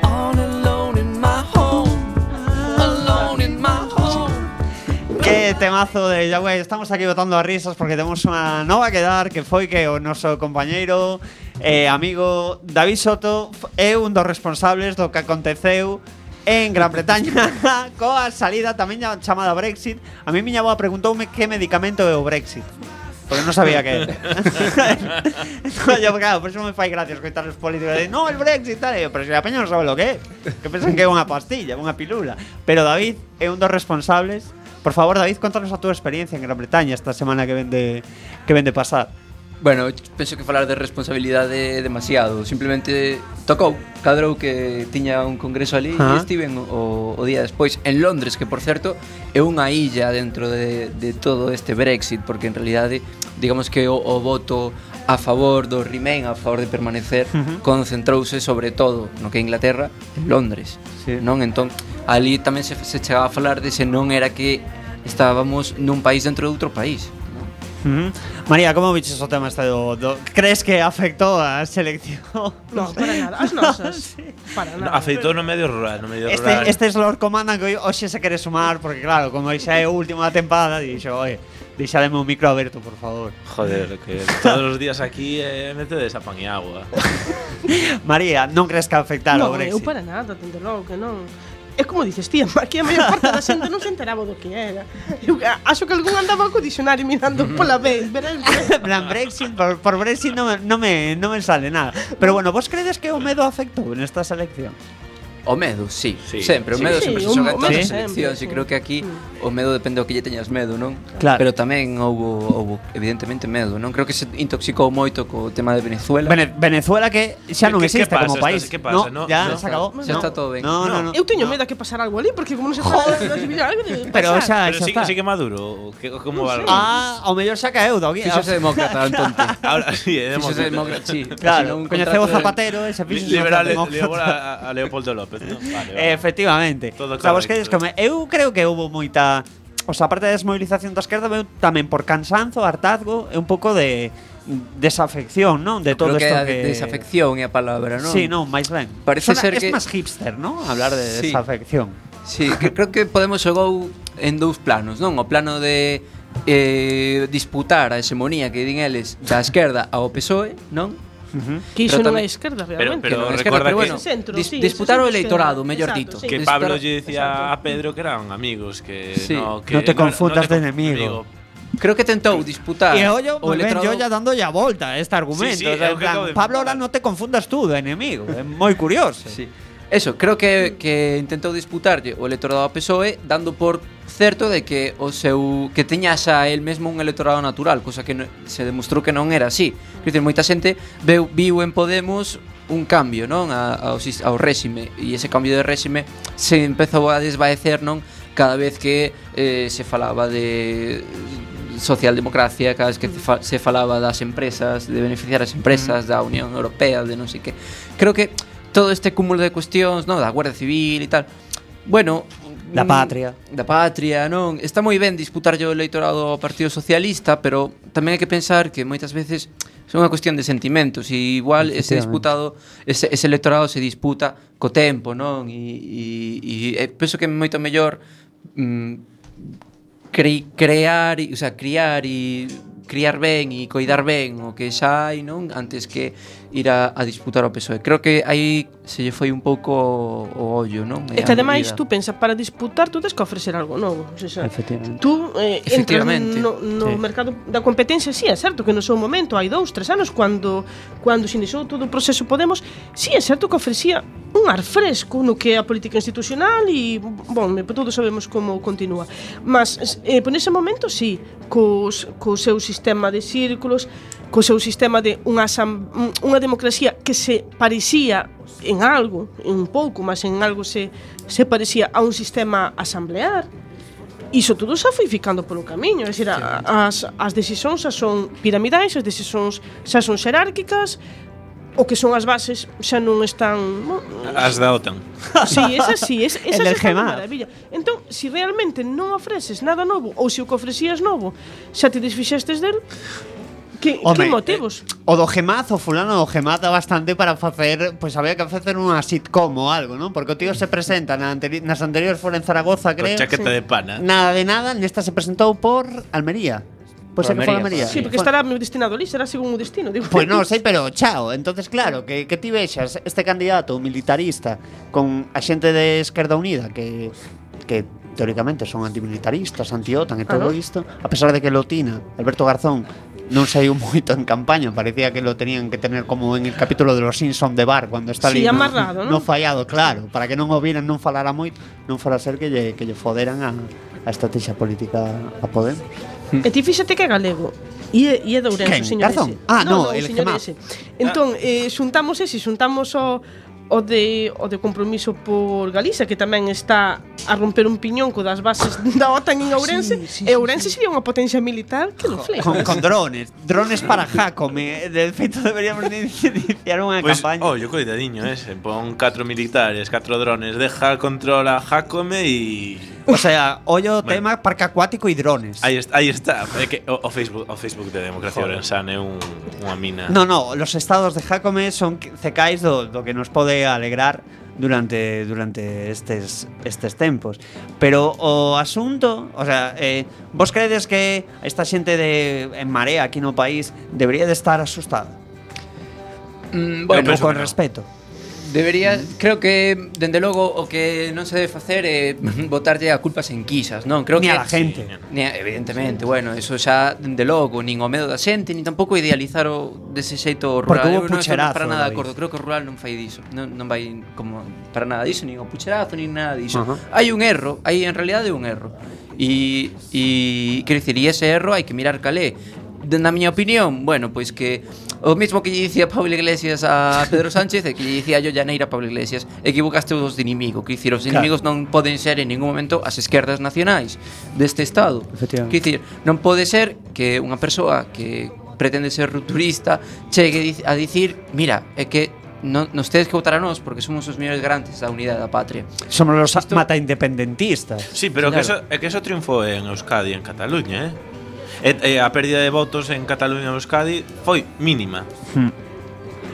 All alone in my home, alone in my home. Que temazo de Yahweh. Estamos aquí botando a risas porque temos unha nova que dar, que foi que o noso compañeiro e eh, amigo David Soto é un dos responsables do que aconteceu en Gran Bretaña coa salida tamén chamada Brexit. A mí miña boa preguntoume que medicamento é o Brexit, porque non sabía que era. No, yo, claro, por eso me fai gracia escoitar os políticos de no, el Brexit, tal, eu, pero se a peña non sabe lo que é, que pensan que é unha pastilla, unha pilula. Pero David é un dos responsables. Por favor, David, contanos a túa experiencia en Gran Bretaña esta semana que vende que vende pasar. Bueno, penso que falar de responsabilidade é demasiado. Simplemente tocou, cadrou que tiña un congreso ali e estiven o, o día despois en Londres, que por certo é unha illa dentro de, de todo este Brexit, porque en realidade digamos que o, o voto a favor do Remain, a favor de permanecer, uh-huh. concentrouse sobre todo no que é Inglaterra, en Londres, sí. Non? Entón, ali tamén se, se chegaba a falar de se non era que estábamos nun país dentro de outro país. Uh-huh. María, como viches o tema este do, do crees que afectou a selección? No, para nada, as nosas. Sí. Para nada. No, afectou no medio rural, no medio este, rural. Estes Lord Comandan que hoxe se quere sumar porque claro, como xa é o último da tempada, dixo, "Oye, deixademe un micro aberto, por favor." Joder, que todos os días aquí eh, metedes a pan e agua. María, non crees que afectara no, o Brexit? Non, eu para nada, dende logo que non. É como dices, tía, aquí a maior parte da xente non se enteraba do que era. Eu acho que algún andaba co dicionario mirando pola vez, verás. Plan Brexit, por, por Brexit non me, non, me, non me sale nada. Pero bueno, vos credes que o medo afectou nesta selección? O medo, sí, sí. sempre, o medo sí, sempre sí, se xoga en o todas medo as sempre, seleccións sí. E creo que aquí o medo depende do que lle teñas medo, non? Claro. Pero tamén houbo, houbo evidentemente medo, non? Creo que se intoxicou moito co tema de Venezuela. Vene, Venezuela que xa non ¿Qué- existe qué pasa? como país. ¿Qué pasa? No, No, ya no. se acabó. Xa no. está todo ben. No, no, no. Eu teño no. medo a que pasara algo ali, porque como non se fala de Pero xa, Pero xa sí, está. sí que Maduro, que, como va? Ah, ao mellor xa caeu do guía. Fíxose demócrata, Antonte. Ahora sí, é Fíxose demócrata. demócrata, sí. Claro, Así, coñeceu o un contrato de- Zapatero e se fixo Liberal a, a Leopoldo López, ¿no? Vale, vale. Efectivamente. Todo O sea, vos correcto. queres comer. Eu creo que houbo moita, o sea, aparte da desmovilización da esquerda, veu tamén por cansanzo, hartazgo e un pouco de desafección, non? De todo Creo que isto a que desafección é a palabra, non? Sí, non, máis ben. Parece Sona, ser es que- máis hipster, non? Hablar de Sí. desafección. Sí, que creo que Podemos xogou en dous planos, non? O plano de eh, disputar a hegemonía que din eles da esquerda ao P S O E, non? Uh-huh. Que iso Pero non é tamén- esquerda, Pero, realmente. pero Que non é recuerda pero que, bueno, Centro, dis- sí, disputar eso o sí que electorado, esquerda. mellor Exacto, dito. sí. que Disputar- Pablo lle decía Exacto. a Pedro que eran amigos, que Sí. no, que No te confundas no de te enemigo. Creo que tentou disputar E ollo, o moi ben, electorado. yo ya dando ya volta a este argumento. Sí, sí, o sea, é en o que plan, acabo de Pablo, explicar. ahora no te confundas tú de enemigo. É moi curioso. Sí. Eso, creo que, que intentou disputarlle o electorado ao P S O E dando por certo de que o seu que teña xa el mesmo un electorado natural, cosa que no, se demostrou que non era así. Quer dizer, moita xente veu, viu en Podemos un cambio, non, a, ao, sis- ao réxime, e ese cambio de réxime se empezou a desvaecer, non, cada vez que eh, se falaba de socialdemocracia, cada vez que se fa- se falaba das empresas, de beneficiar as empresas, da Unión Europea, de non sei que. Creo que todo este cúmulo de cuestións, non, da Guardia Civil e tal, bueno, Da mm, patria. Da patria, non? Está moi ben disputar o electorado ao Partido Socialista, pero tamén hai que pensar que moitas veces é unha cuestión de sentimentos e igual ese disputado ese, ese electorado se disputa co tempo, non? E, e, e penso que é moito mellor mm, cre, crear, o sea, criar e criar ben e coidar ben o que xa hai, non? Antes que ir a, a disputar ao P S O E. Creo que aí se lle foi un pouco o ollo, non? E que ademais tú pensa, para disputar tú tens que ofrecer algo novo, o sea, Efectivamente. tú eh, entras Efectivamente. no, no Sí. mercado da competencia, sí, é certo que no seu momento hai dous, tres anos cando cando se iniciou todo o proceso Podemos, sí, é certo que ofrecía un ar fresco no que é a política institucional e, bon, todos sabemos como continúa, mas eh, por ese momento, sí, cos, co seu sistema de círculos, co seu sistema de unha, asam- unha democracia que se parecía en algo, en un pouco, mas en algo se, se parecía a un sistema asamblear. Iso todo xa foi ficando polo camiño, é dicir, a- as, as decisións xa son piramidais, as decisións xa son xerárquicas, o que son as bases xa non están, bueno, As da OTAN. sí, esa sí, esa, esa El del xa está de Gemar. maravilla. Entón, se si realmente non ofreces nada novo ou se o que ofrecías novo xa te desfixestes del, que, Home, que motivos? eh, o do Gemaz, o fulano do Gemaz dá bastante para facer, pois pues, había que facer unha sitcom ou algo, non? Porque o tío se presenta na anteri nas anteriores fora en Zaragoza, Con creo. chaqueta de pana. Nada de nada, nesta se presentou por Almería. Pois Por é que foi Almería, Almería. Sí, porque estará destinado ali, será según o destino, digo. Pois non sei, pero chao. Entonces, claro, que, que ti vexas este candidato militarista con a xente de Esquerda Unida que, que teóricamente son antimilitaristas, anti-OTAN e todo Ah, ¿no? isto, a pesar de que Lotina, Alberto Garzón, non saiu moito en campaña, parecía que lo tenían que tener como en el capítulo de los Simpson de Bar, cuando está Sí, ali amarrado, no, ¿no? no fallado, claro, para que non o viran, non falara moito, non fora ser que lle, que lle foderan a, a estrategia política a Podemos. E ti fíxate que é galego. E é, e é de Ourense, Quen? o señor Garzón? ese. Ah, no, o el señor Gemar. ese. Entón, eh, xuntamos ese, xuntamos o o de o de compromiso por Galicia, que tamén está a romper un piñón co das bases da OTAN en Ourense, Sí, sí, e sí, Ourense sería unha potencia militar que lo flipas. Con, con drones, drones para Jacome. De feito deberíamos de iniciar unha Pois, campaña. oh, yo coidadiño ese. Pon catro militares, catro drones, deja controla Jacome e... O sea, ollo Bueno. tema parque acuático e drones. Aí está, aí está. É que o, o Facebook, o Facebook de Democracia Orensana é un, unha mina. No, no, los estados de Jacome son cecais do, do que nos pode alegrar durante durante estes estes tempos. Pero o asunto, o sea, eh, vos credes que esta xente de en Marea aquí no país debería de estar asustada? Mm, Bueno, bueno, con que no. respeto. debería, creo que dende logo o que non se debe facer é botarlle a culpas en quisas, non? Creo Ni que a la gente. Ni a, evidentemente, bueno, eso xa dende logo, nin o medo da xente, nin tampouco idealizar o dese xeito Porque rural. hubo Eu non estou pucherazo, para nada de David. acordo, creo que o rural non fai diso. Non, non vai como para nada diso, nin o pucherazo, nin nada diso. Ajá. Hai un erro, hai en realidade un erro. E e quero dicir, e ese erro hai que mirar calé. Na miña opinión, bueno, pois que o mismo que lle dicía Pablo Iglesias a Pedro Sánchez e que lle dicía yo Llaneira a Pablo Iglesias, equivocaste os de inimigo, que dicir, os Claro. inimigos non poden ser en ningún momento as esquerdas nacionais deste estado. Efectivamente. Que dicir, non pode ser que unha persoa que pretende ser rupturista chegue dic- a dicir, mira, é que non nos tedes que votar a nós porque somos os mellores garantes da unidade da patria. Somos los Isto- mata independentistas. Sí, pero Claro. que eso, é que eso triunfou en Euskadi e en Cataluña, eh? E, e a pérdida de votos en Cataluña e Euskadi foi mínima. Hmm.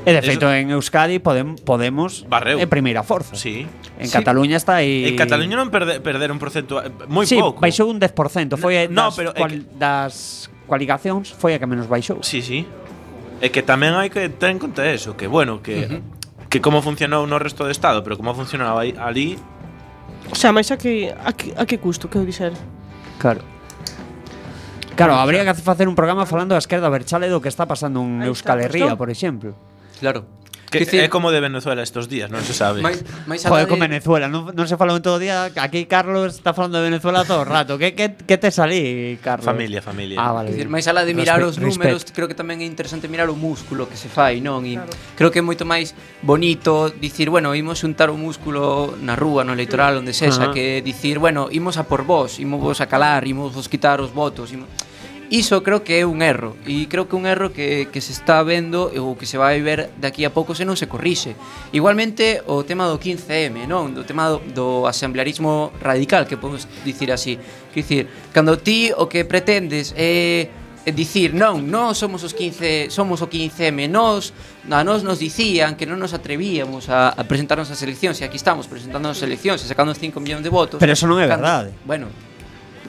E de Eso- feito en Euskadi podem, Podemos Barreu. en primeira forza. Sí. En Sí. Cataluña está aí. En Cataluña non perde, perder un porcento moi sí, pouco. baixou un dez por cento. Foi No, das, pero é cual, das cualificacións foi a que menos baixou. Sí, sí. É que tamén hai que ter en conta eso, que bueno, que Ujú. que como funcionou no resto do estado, pero como funcionaba aí, ali, O sea, máis a que a que, a que custo, quero dixer. Claro. Claro, habría que facer un programa falando da esquerda berchale do que está pasando en Aí Euskal está, Herria, pues, por exemplo. Claro. que Quer dicir, é como de Venezuela estos días, non se sabe. máis, máis Joder, alá con de- Venezuela, non, non se falou en todo o día. Aquí Carlos está falando de Venezuela todo o rato. Que, que, que te salí, Carlos? Familia, familia. Ah, Quer vale. dicir, máis alá de mirar Respe- os números, respeto. creo que tamén é interesante mirar o músculo que se fai, non? E Claro. creo que é moito máis bonito dicir, bueno, imos xuntar o músculo na rúa, no electoral, onde sexa, Ajá. que dicir, bueno, imos a por vos, imos vos a calar, imos vos quitar os votos, imos... Iso creo que é un erro, e creo que un erro que, que se está vendo ou que se vai ver de aquí a pouco se non se corrixe. Igualmente o tema do quince eme, non? Do tema do, do asemblearismo radical, que podemos dicir así. Quer dicir, cando ti o que pretendes é é dicir, non, nós somos os quince, somos o quince eme, nós, a nós nos dicían que non nos atrevíamos a, a presentarnos ás eleccións, e aquí estamos presentándonos ás eleccións e sacando cinco millóns de votos. Pero eso non é Cando- verdade. Bueno,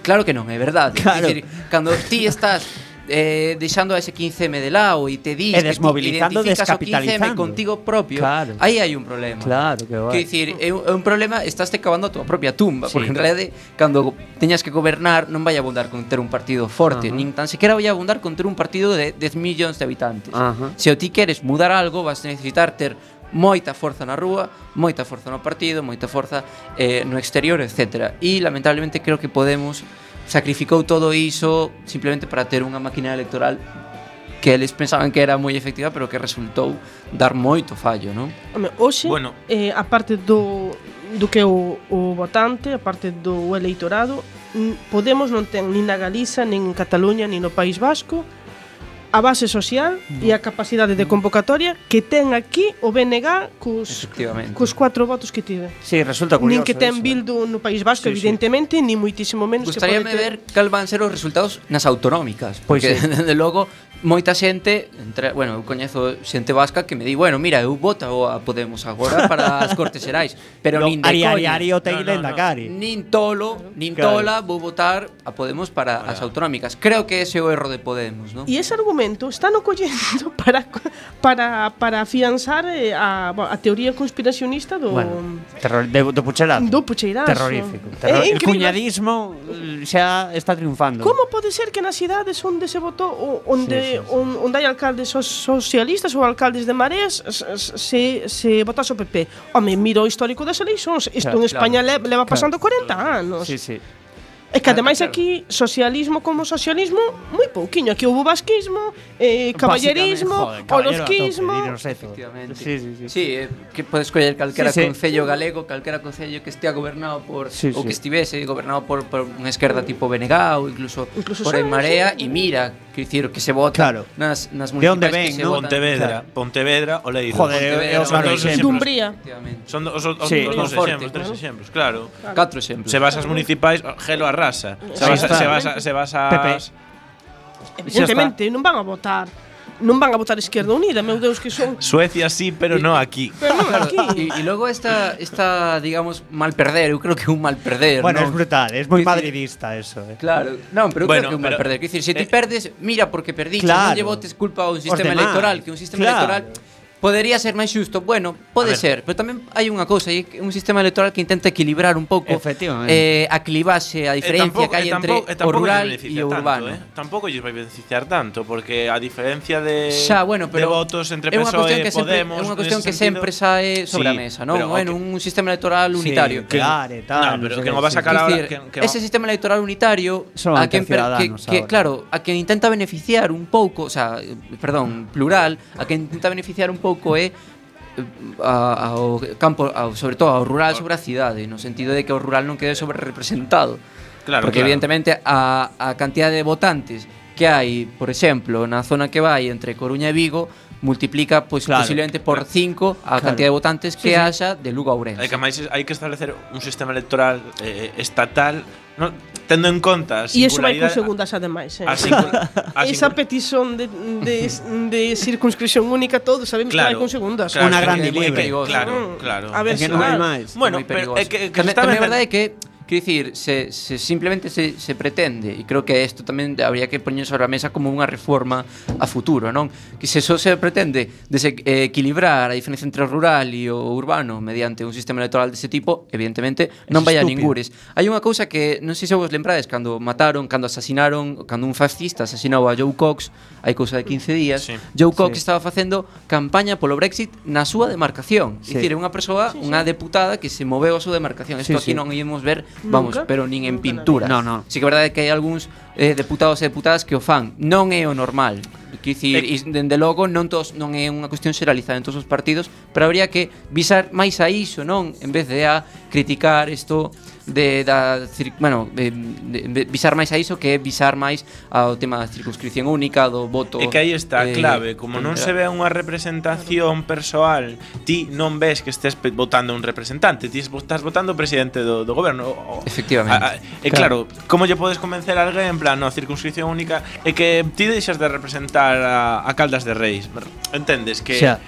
claro que non, é verdade. Claro. É dicir, cando ti estás eh, deixando a ese quince eme de lado e te dis E que ti desmobilizando, identificas o quince eme descapitalizando. contigo propio, Claro. aí hai un problema. Claro, que Quer vai. dicir, é un, é un problema, estás te cavando a tua propia tumba, Sí. porque en realidade cando teñas que gobernar non vai abundar con ter un partido forte, Ajá. nin tan sequera vai abundar con ter un partido de dez millóns de habitantes. Ajá. Se o ti queres mudar algo, vas a necesitar ter moita forza na rúa, moita forza no partido, moita forza eh, no exterior, etcétera. E lamentablemente creo que Podemos sacrificou todo iso simplemente para ter unha máquina electoral que eles pensaban que era moi efectiva, pero que resultou dar moito fallo, non? Home, hoxe, Bueno. eh, a parte do, do que é o, o votante, a parte do eleitorado, mm, Podemos non ten nin na Galiza, nin en Cataluña, nin no País Vasco, a base social e a capacidade de convocatoria que ten aquí o B N G cos, Efectivamente. cos cuatro votos que tiven. Sí, resulta curioso. Nin que ten eso, Bildu no País Vasco, Sí, sí. evidentemente, ni muitísimo menos que pode Gustaríame ter. ver cal van ser os resultados nas autonómicas, Pois porque sí. desde logo moita xente, entre, bueno, eu coñezo xente vasca que me di, bueno, mira, eu voto a Podemos agora para as Cortes Xerais, pero Lo nin de ari, ari, coña. ari, o te No, no, lenda no. cari. Nin tolo, nin Claro. tola vou votar a Podemos para as autonómicas. Creo que ese é o erro de Podemos, ¿no? E ese argumento está no collendo para para para afianzar eh, a, a teoría conspiracionista do Bueno, terror, de, do pucherazo. do pucheirazo. Terrorífico. Terror, É el incrível. cuñadismo eh, xa está triunfando. Como pode ser que nas cidades onde se votou o- onde Sí, sí, sí. on- onde hai alcaldes so- socialistas ou alcaldes de Mareas s- se se votase o P P? Home, mira o histórico das eleicións. Isto Claro, en España claro, le- leva pasando corenta anos. Sí, sí. É que ademais claro. aquí socialismo como socialismo moi pouquiño. Aquí houve vasquismo, eh, caballerismo, Básicamente, joder, caballero a tope, orozquismo. Dino Seto. Efectivamente. Sí, sí, sí. Sí, eh, que podes escoller calquera Sí, sí. concello galego, calquera concello que estea gobernado por Sí, ou sí. que estivese gobernado por, por unha esquerda tipo B N G ou incluso, Incluso por Sáenz, En Marea sí. e mira, que dicir que se vota Claro. nas nas De onde municipais ven, que se ¿no? votan. Pontevedra, Claro. Pontevedra, Oleiro. Joder, Pontevedra, é o Son claro dos exemplo. Dumbría. Efectivamente. Son os, os, os, Sí. os dos Monforte, exemplos, tres claro. exemplos, claro. Catro exemplos. Se vas ás municipais, gelo arrasa. Se Ahí vas, a- está. se vas, a- se vas Pepe. ás Evidentemente, non van a votar. Non van a votar Izquierda Unida, meu Deus, que son. Suecia sí, pero no aquí. Pero non Claro, aquí. e, e logo esta, esta, digamos, mal perder, eu creo que é un mal perder, Bueno, non? es brutal, es muy Dicir, madridista eso. Eh. Claro, non, pero Bueno, creo que é un mal pero- perder. Quer dicir, se ti eh, perdes, mira porque perdiste, claro. non lle votes culpa a un sistema demás, electoral, que un sistema claro. electoral podería ser máis xusto. Bueno, A pode ver. ser, pero tamén hai unha cousa, hai un sistema electoral que intenta equilibrar un pouco Efectivamente. eh, a clivaxe, a diferencia que hai entre o rural e o urbano. Tanto, eh? Tampouco lles vai beneficiar tanto, porque a diferencia de, Xa, bueno, pero de votos entre é unha P S O cuestión e que sempre, Podemos, é unha cuestión nese que sentido- sempre sae sobre Sí, a mesa, non? pero, Bueno, ok. un sistema electoral unitario. Sí, claro, e tal. No, pero sé que qué, non vas a sí. sacar Quer ahora dicir, que, que ese sistema electoral unitario Son a quen per- que, ciudadanos que ahora. claro, a quen intenta beneficiar un pouco, o sea, eh, perdón, plural, a quen intenta beneficiar un pouco é eh, a- ao campo, ao, sobre todo ao rural sobre a cidade, no sentido de que o rural non quede sobre representado. Claro, Porque claro. evidentemente a, a cantidad de votantes que hai, por exemplo, na zona que vai entre Coruña e Vigo, multiplica pois Claro. posiblemente por cinco a Claro. cantidad de votantes que Sí, sí. haxa de Lugo a Ourense. Hai que máis hai que establecer un sistema electoral eh, estatal, no, tendo en conta a E iso vai con singularidade- segundas ademais, eh. a singul- a Esa singul- petición de, de, de circunscripción única, todos sabemos que vai con segundas. claro, Una que- gran que- libre. que- Claro, Mm. claro. A ver Es que se non hai vai. máis. Bueno, Moi pero perigoso. é que, que tamén, se está tamén a vendo- verdade é que quero dicir, se, se simplemente se, se pretende, e creo que isto tamén habría que poñer sobre a mesa como unha reforma a futuro, non? Que se só se pretende dese, eh, equilibrar a diferencia entre o rural e o urbano mediante un sistema electoral dese tipo, evidentemente non vai a estúpido. ningures. Hai unha cousa que non sei se vos lembrades cando mataron, cando asasinaron, cando un fascista asasinou a Joe Cox, hai cousa de quince días. Sí. Joe Cox Sí. estaba facendo campaña polo Brexit na súa demarcación. Sí. É dicir, é unha persoa, unha deputada que se moveu a súa demarcación. Isto Sí, aquí sí. non íamos ver, vamos, Nunca. pero nin en Nunca na pintura. vida. No, no. Sí que é verdade que hai algúns eh, deputados e deputadas que o fan. Non é o normal. Quer dicir, Eh, e dende logo non todos, non é unha cuestión xeralizada en todos os partidos, pero habría que visar máis a iso, non? En vez de a criticar isto de da cir- bueno, de, de, de visar máis a iso que é visar máis ao tema da circunscripción única, do voto. É que aí está a eh, clave, como non se ve unha representación persoal, ti non ves que estés pe- votando un representante, ti estás votando o presidente do, do goberno. O- o- Efectivamente. A, a, e claro, como lle podes convencer a alguén en plan, no, circunscripción única, é que ti deixas de representar a, a Caldas de Reis. Entendes que Xa.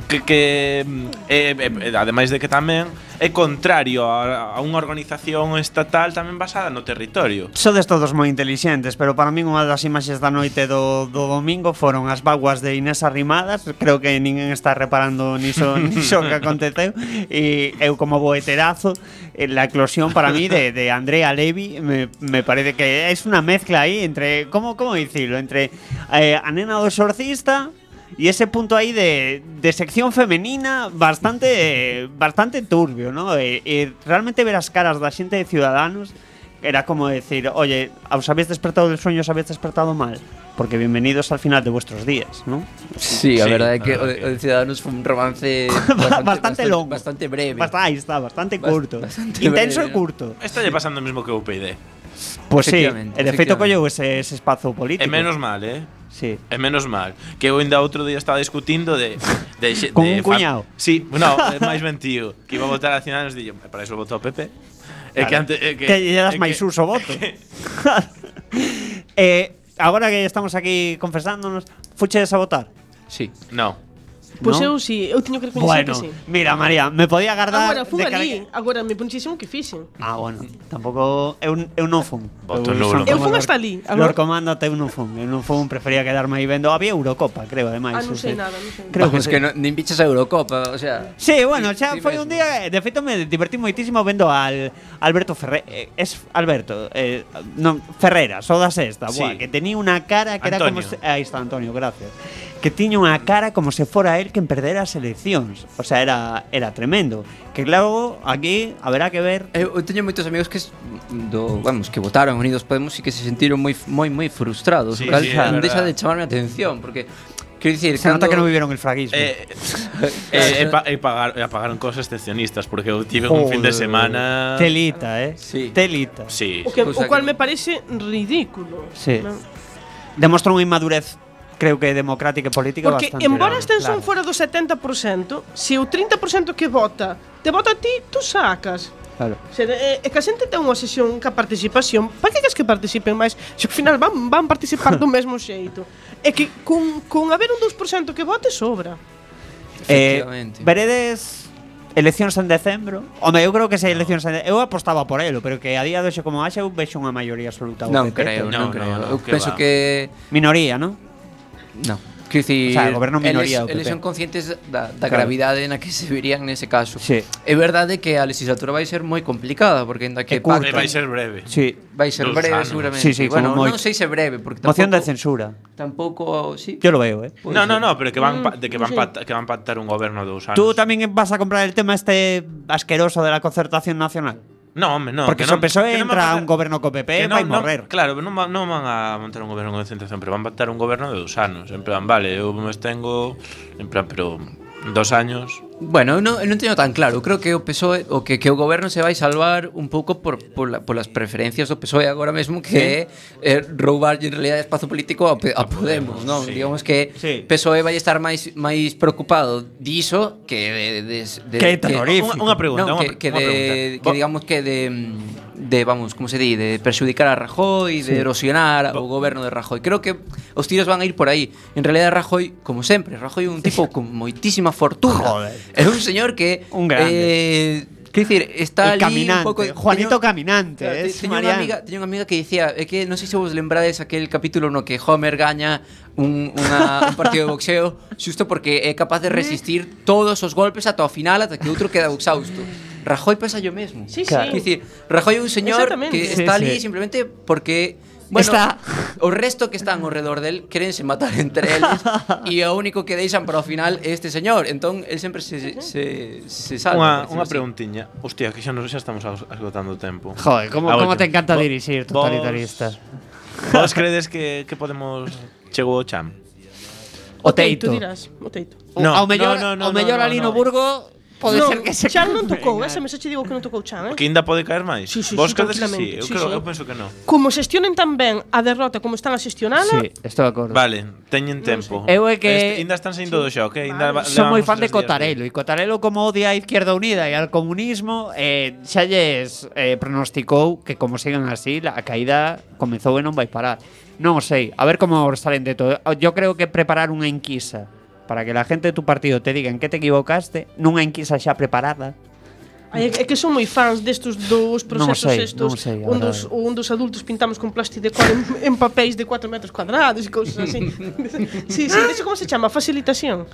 que, que eh, eh, ademais de que tamén é contrario a, a unha organización estatal tamén basada no territorio. Sodes todos moi intelixentes, pero para min unha das imaxes da noite do, do domingo foron as vaguas de Inés Arrimadas. Creo que ninguén está reparando niso, niso que aconteceu. E eu como boeterazo, eh, la eclosión para mí de, de Andrea Levy me, me parece que es una mezcla aí entre, ¿cómo, cómo decirlo? Entre eh, a nena do exorcista y ese punto ahí de, de sección femenina bastante eh, bastante turbio, ¿no? E, e realmente ver as caras da xente de Ciudadanos era como decir, oye, os habéis despertado del sueño, os habéis despertado mal, porque bienvenidos al final de vuestros días, ¿no? Sí, a Sí, verdade é que a o, verdade o de Ciudadanos foi un romance Bastante, bastante, longo, bastante breve. Bast- ahí está, bastante Bast- curto, bastante intenso breve, e curto. Está lle pasando o mesmo que o U P D. Pues sí, Efectivamente, e de feito efectivamente. colleu ese, ese espazo político. E menos mal, eh? Sí. E menos mal. Que eu ainda outro día estaba discutindo de... de, de Con de un cuñado. Sí, no, é máis ben tío. Que iba a votar a Ciudadanos e dixo, para iso votou o P P. É que antes... É que, Que lle das é máis que- uso voto. eh, agora que estamos aquí confesándonos, fuches a votar? Sí. No. Pois ¿No? eu si, eu teño que recoñecer Bueno, que sí. mira, María, me podía agardar Agora, fun de cara ali, que- agora me puxísimo que fixen. Ah, bueno, tampouco eu, eu non fun. Voto Eu nulo. son Eu como fun Lor- hasta ali, agora- Lor Comandante eu non fun. Eu non fun, prefería quedarme aí vendo. Había Eurocopa, creo, ademais. Ah, non non sei nada, non sei. Creo Vamos, que, que, sí. no, nin pichas a Eurocopa, o sea... Sí, bueno, Ti- xa ti foi mesmo. un día, de feito me divertí moitísimo vendo al Alberto Ferre, eh, es Alberto, eh, non, Ferreras, o da Sexta, Sí. buah, que tenía unha cara que era como Antonio. se, aí está Antonio, gracias. Que tiña unha cara como se fora él quen perdera as eleccións. O sea, era era tremendo. Que claro, aquí haberá que ver. Eu, eu teño moitos amigos que s- do, vamos, que votaron Unidos Podemos e que se sentiron moi moi moi frustrados. Sí, o cal sí, é non deixa verdad. de chamarme a atención porque quero dicir, Se nota que non vivieron el fraguismo. Eh, eh, e, pa, e, pagar, e pagaron cosas excepcionistas porque eu tive un fin de Joder. semana. Telita, eh. Sí. Telita. Sí. O, que, Cousa o cual que- me parece ridículo. Sí. Non? Demostra unha inmadurez, creo que democrática e política Porque bastante. embora a grande, extensión claro. fora do setenta por cento, se o trinta por cento que vota te vota a ti, tú sacas. Claro. Se, é, é que a xente ten unha sesión ca participación. Para que queres que participen máis? Se ao final van, van participar do mesmo xeito. É que con, con haber un dous por cento que vote sobra. Eh, Efectivamente. veredes eleccións en decembro? Home, eu creo que se hai eleccións en de- eu apostaba por elo, pero que a día de hoxe como haxe eu vexo unha maioría absoluta ao Non P P, creo, No, non no, creo. no, Eu que penso va. que minoría, ¿no? non. Quero dicir, O sea, goberno minoría eles, o P P. eles son conscientes da, da Claro. gravidade na que se verían nese caso. Sí. É verdade que a legislatura vai ser moi complicada porque ainda que É curta. E vai ser breve. Sí. vai ser Dos breve anos. seguramente. Sí, sí, bueno, como non moito. sei se breve porque Moción de tampouco, censura. tampouco, sí. Yo lo veo, eh. Pode No, no, ser. no, pero que van pa, de que van sí. pactar, que van pactar un goberno de dous anos. Tú tamén vas a comprar el tema este asqueroso de la concertación nacional. No, hombre, no. Porque que se o non- P S O E que non van entra a pactar- un goberno co P P, que vai non- non- morrer. Claro, non, va- non van a montar un goberno con concentración, pero van a pactar un goberno de dous anos. En plan, vale, eu me tengo, en plan, pero dos años. Bueno, eu non, eu non teño tan claro. Eu creo que o P S O E o que, que o goberno se vai salvar un pouco por, por, la, por las preferencias do P S O E agora mesmo que é eh, roubar en realidad espazo político a, P- a Podemos, non? Sí. Digamos que Sí. P S O E vai estar máis máis preocupado diso que de, de, de Que terrorífico. Unha, unha pregunta, non, unha, que, que unha de pregunta. que digamos que de de vamos, como se di, de perxudicar a Rajoy, de erosionar o goberno de Rajoy. Creo que os tiros van a ir por aí. En realidad Rajoy, como sempre, Rajoy é un tipo con moitísima fortuna. Joder. É un señor que Un grande. eh, Quer dicir, está El ali caminante, un pouco Juanito Caminante, Claro, te- es teño unha Mariano. amiga, teño unha amiga que dicía, é que non sei se vos lembrades aquel capítulo no que Homer gaña un, unha, un partido de boxeo xusto porque é capaz de resistir todos os golpes ata o final ata que outro queda exhausto. Rajoy pasa yo mesmo. Sí, Claro. sí. Quer dicir, Rajoy é un señor Exactamente. que Sí, está ali sí. simplemente porque bueno, Está- o resto que están ao redor del querense matar entre eles e o único que deixan para o final é este señor. Entón, el sempre se, se, se Unha, salva. unha por decirlo así. preguntiña. Hostia, que xa, nos, xa estamos as- esgotando o tempo. Joder, como, A como última. te encanta Vo- dirixir, vos- totalitarista. Vos credes que, que podemos chegou o cham? O Teito, teito. dirás, o teito. No, ao mellor, no, no, no, ao mellor no, ali no. no Burgo pode non, ser que se Chan non tocou, Venga. esa mesa che digo que non tocou Chan, eh? Que ainda pode caer máis? Sí, sí, Vos sí, credes que sí? tranquilamente. Eu, Sí, creo, sí. eu penso que non. Como xestionen tan ben a derrota como están a xestionala, Sí, estou de acordo. Vale, teñen tempo. Eu é que- Este, ainda están saindo do xoc, eh? Ainda Vale. va- Son moi levamos fan de tres días Cotarelo e Cotarelo como odia a Izquierda Unida e al comunismo eh, xa lles eh, pronosticou que como sigan así a caída comezou e non vai parar. Non o sei, a ver como salen de todo. Yo creo que preparar unha enquisa para que la gente de tu partido te diga en que te equivocaste, nunha enquisa xa preparada. Ai, é que son moi fans destos dous Non o procesos sei, estos, non o sei, a un dos, verdade. un dos adultos pintamos con plasticecol en, en papéis de cuatro metros cuadrados e cousas así. Sí, sí, de hecho, como se chama? Facilitación.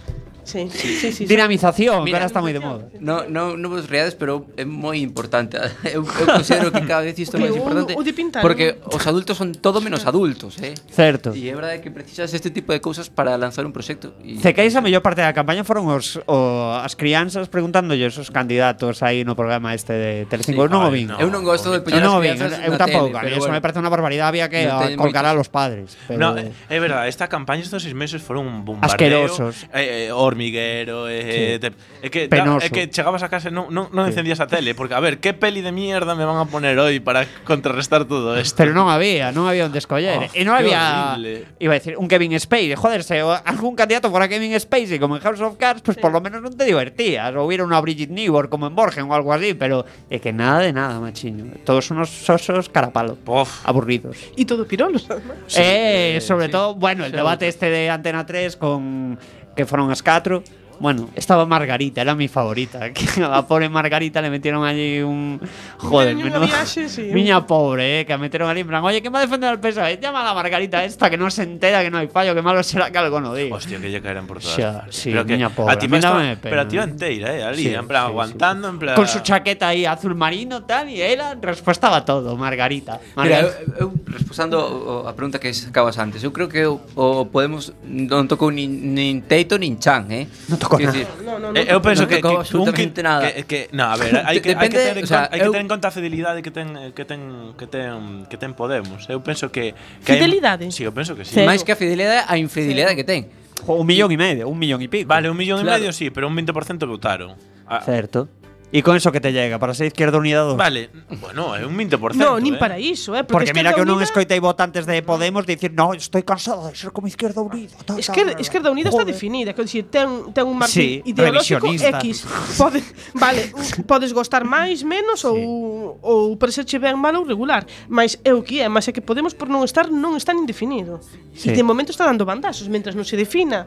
Sí, sí, sí, sí. Dinamización, que Mira, ahora está moi de moda. No, no, non vos reades, pero é moi importante. Eu, eu considero que cada vez isto é O que, máis o- importante o de pintar, porque os adultos son todo menos adultos, eh? Certo. E é verdade que precisas este tipo de cousas para lanzar un proxecto. E Cequeis a mellor parte da campaña foron os, o, as crianzas preguntándolle os candidatos aí no programa este de Telecinco. Sí, eu non o ai, vin. no. Eu non gosto Eu de poñer non o as vin, crianzas eu na tampouco. tele, A mí pero eso me bueno. parece unha barbaridade, había que Non a, teñen colgar a moitos. los padres. Pero No, é verdade, esta campaña estes seis meses foron un bombardeo Asquerosos. eh, eh, hormi hormiguero, eh, Sí. te, é que Penoso. é que chegabas a casa e non, non, non Sí. encendías a tele, porque a ver, que peli de mierda me van a poner hoy para contrarrestar todo esto. Pero non había, non había onde escoller. Oh, e non qué había, horrible. iba a decir, un Kevin Spacey. Joder, se o- algún candidato fuera Kevin Spacey como en House of Cards, pues por lo menos non te divertías. Ou hubiera unha Brigitte Nibor como en Borgen ou algo así, pero é que nada de nada, machiño. Todos unos sosos carapalo, Uf. aburridos. Y todo pirolos, además. eh, sobre sí. todo, bueno, el debate este de Antena tres con que fueron as catro. Bueno, estaba Margarita, era mi favorita. Que a la pobre Margarita le metieron allí un. Joder, Teño unha menudo- viaxe, sí. Miña pobre, eh, que a metieron allí en plan, oye, ¿quién va a defender al P S O E? Llama a la Margarita esta que no se entera que no hay fallo, que malo será que algo no diga. Hostia, que lle caeran por todas. Xa, sí, pero que miña pobre, a ti a mí me estaba, dáme pena. pero a ti enteira, eh, ali, Sí, en plan sí, aguantando, en plan Con su chaqueta ahí azul marino tal y ela respuesta a todo, Margarita. Mira, Margarita. eu, eu respondendo o- a pregunta que sacabas antes, eu creo que o, o Podemos non tocou nin, nin Teito nin Chan, eh? Non tocou Quer nada. dicir, No, no, no. Eh, eu penso non que, tocou que absolutamente un nada. Que, que, no, a ver, hai que, hai que Depende, ter en o sea, conta, hai que eu- ter en conta a fidelidade que ten que ten que ten que ten Podemos. Eu penso que, que hai- Fidelidade? Sí, eu penso que sí. Cero. máis que a fidelidade, a infidelidade que ten. Un millón y medio, un millón y pico. Vale, un millón Claro. e medio sí, pero un veinte por ciento votaron. Ah, Certo. ¿Y con eso que te llega? ¿Para ser Izquierda Unida dos? vale, bueno, é un veinte por ciento. No, nin eh. para iso, eh? Porque mira que eu non Unida, escoitei votantes de Podemos dicir no, estoy cansado de ser como Izquierda Unida. ta, ta, Esquerda, ta, ta". Esquerda Unida está Joder. definida, quer dicir, ten, ten un Sí, marco ideolóxico revisionista. X. Pode, vale, podes gostar máis, menos ou ou parecerche ben mal ou regular, mas é o que é, mas é que Podemos por non estar non está nin definido. Sí. E de momento está dando bandazos, mentras non se defina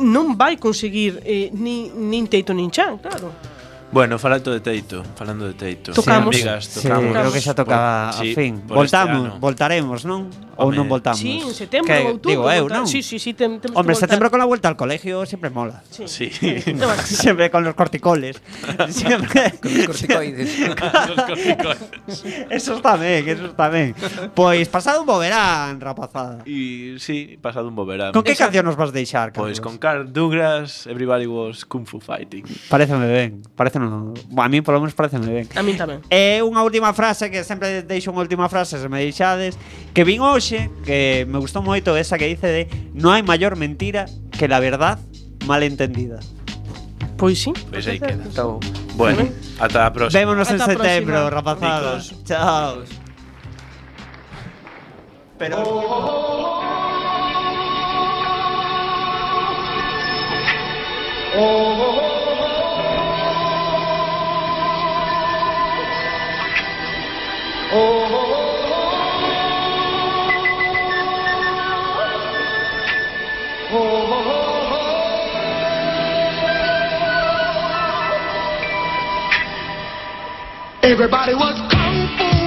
non vai conseguir eh, ni, nin Teito nin Chan, claro. Bueno, falando de Teito, falando de Teito. Tocamos. Sí, amigas, Sí, tocamos. creo que xa toca Por- a sí, fin. por este Voltamos, ano. voltaremos, non? Ou Home, non voltamos? Sí, en setembro Que, ou outubro. Digo eu, voltar- non? Sí, sí, sí, tem, temos Hombre, que voltar. setembro con la vuelta al colegio siempre mola. Sí. Sí. No, vale. Siempre con los corticoles. Siempre. Con os corticoides. Los corticoides. Eso está ben, eso está ben. Pois pasado un bo verán, rapazada. Y sí, pasado un bo verán. Con que canción nos vas deixar, Carlos? Pois con Carl Douglas, Everybody Was Kung Fu Fighting. Pareceme ben, pareceme, a mí polo menos pareceme ben. A min tamén. E unha última frase, que sempre deixo unha última frase, se me deixades, que vin hoxe, que me gustou moito, esa que dice de no hai maior mentira que la verdad mal entendida. Pois sí. Pois aí queda. Então, Bueno, ata a próxima. Vémonos en Ata a setembro, próxima. rapazadas. Chicos. Chao. Pero Everybody was kung fu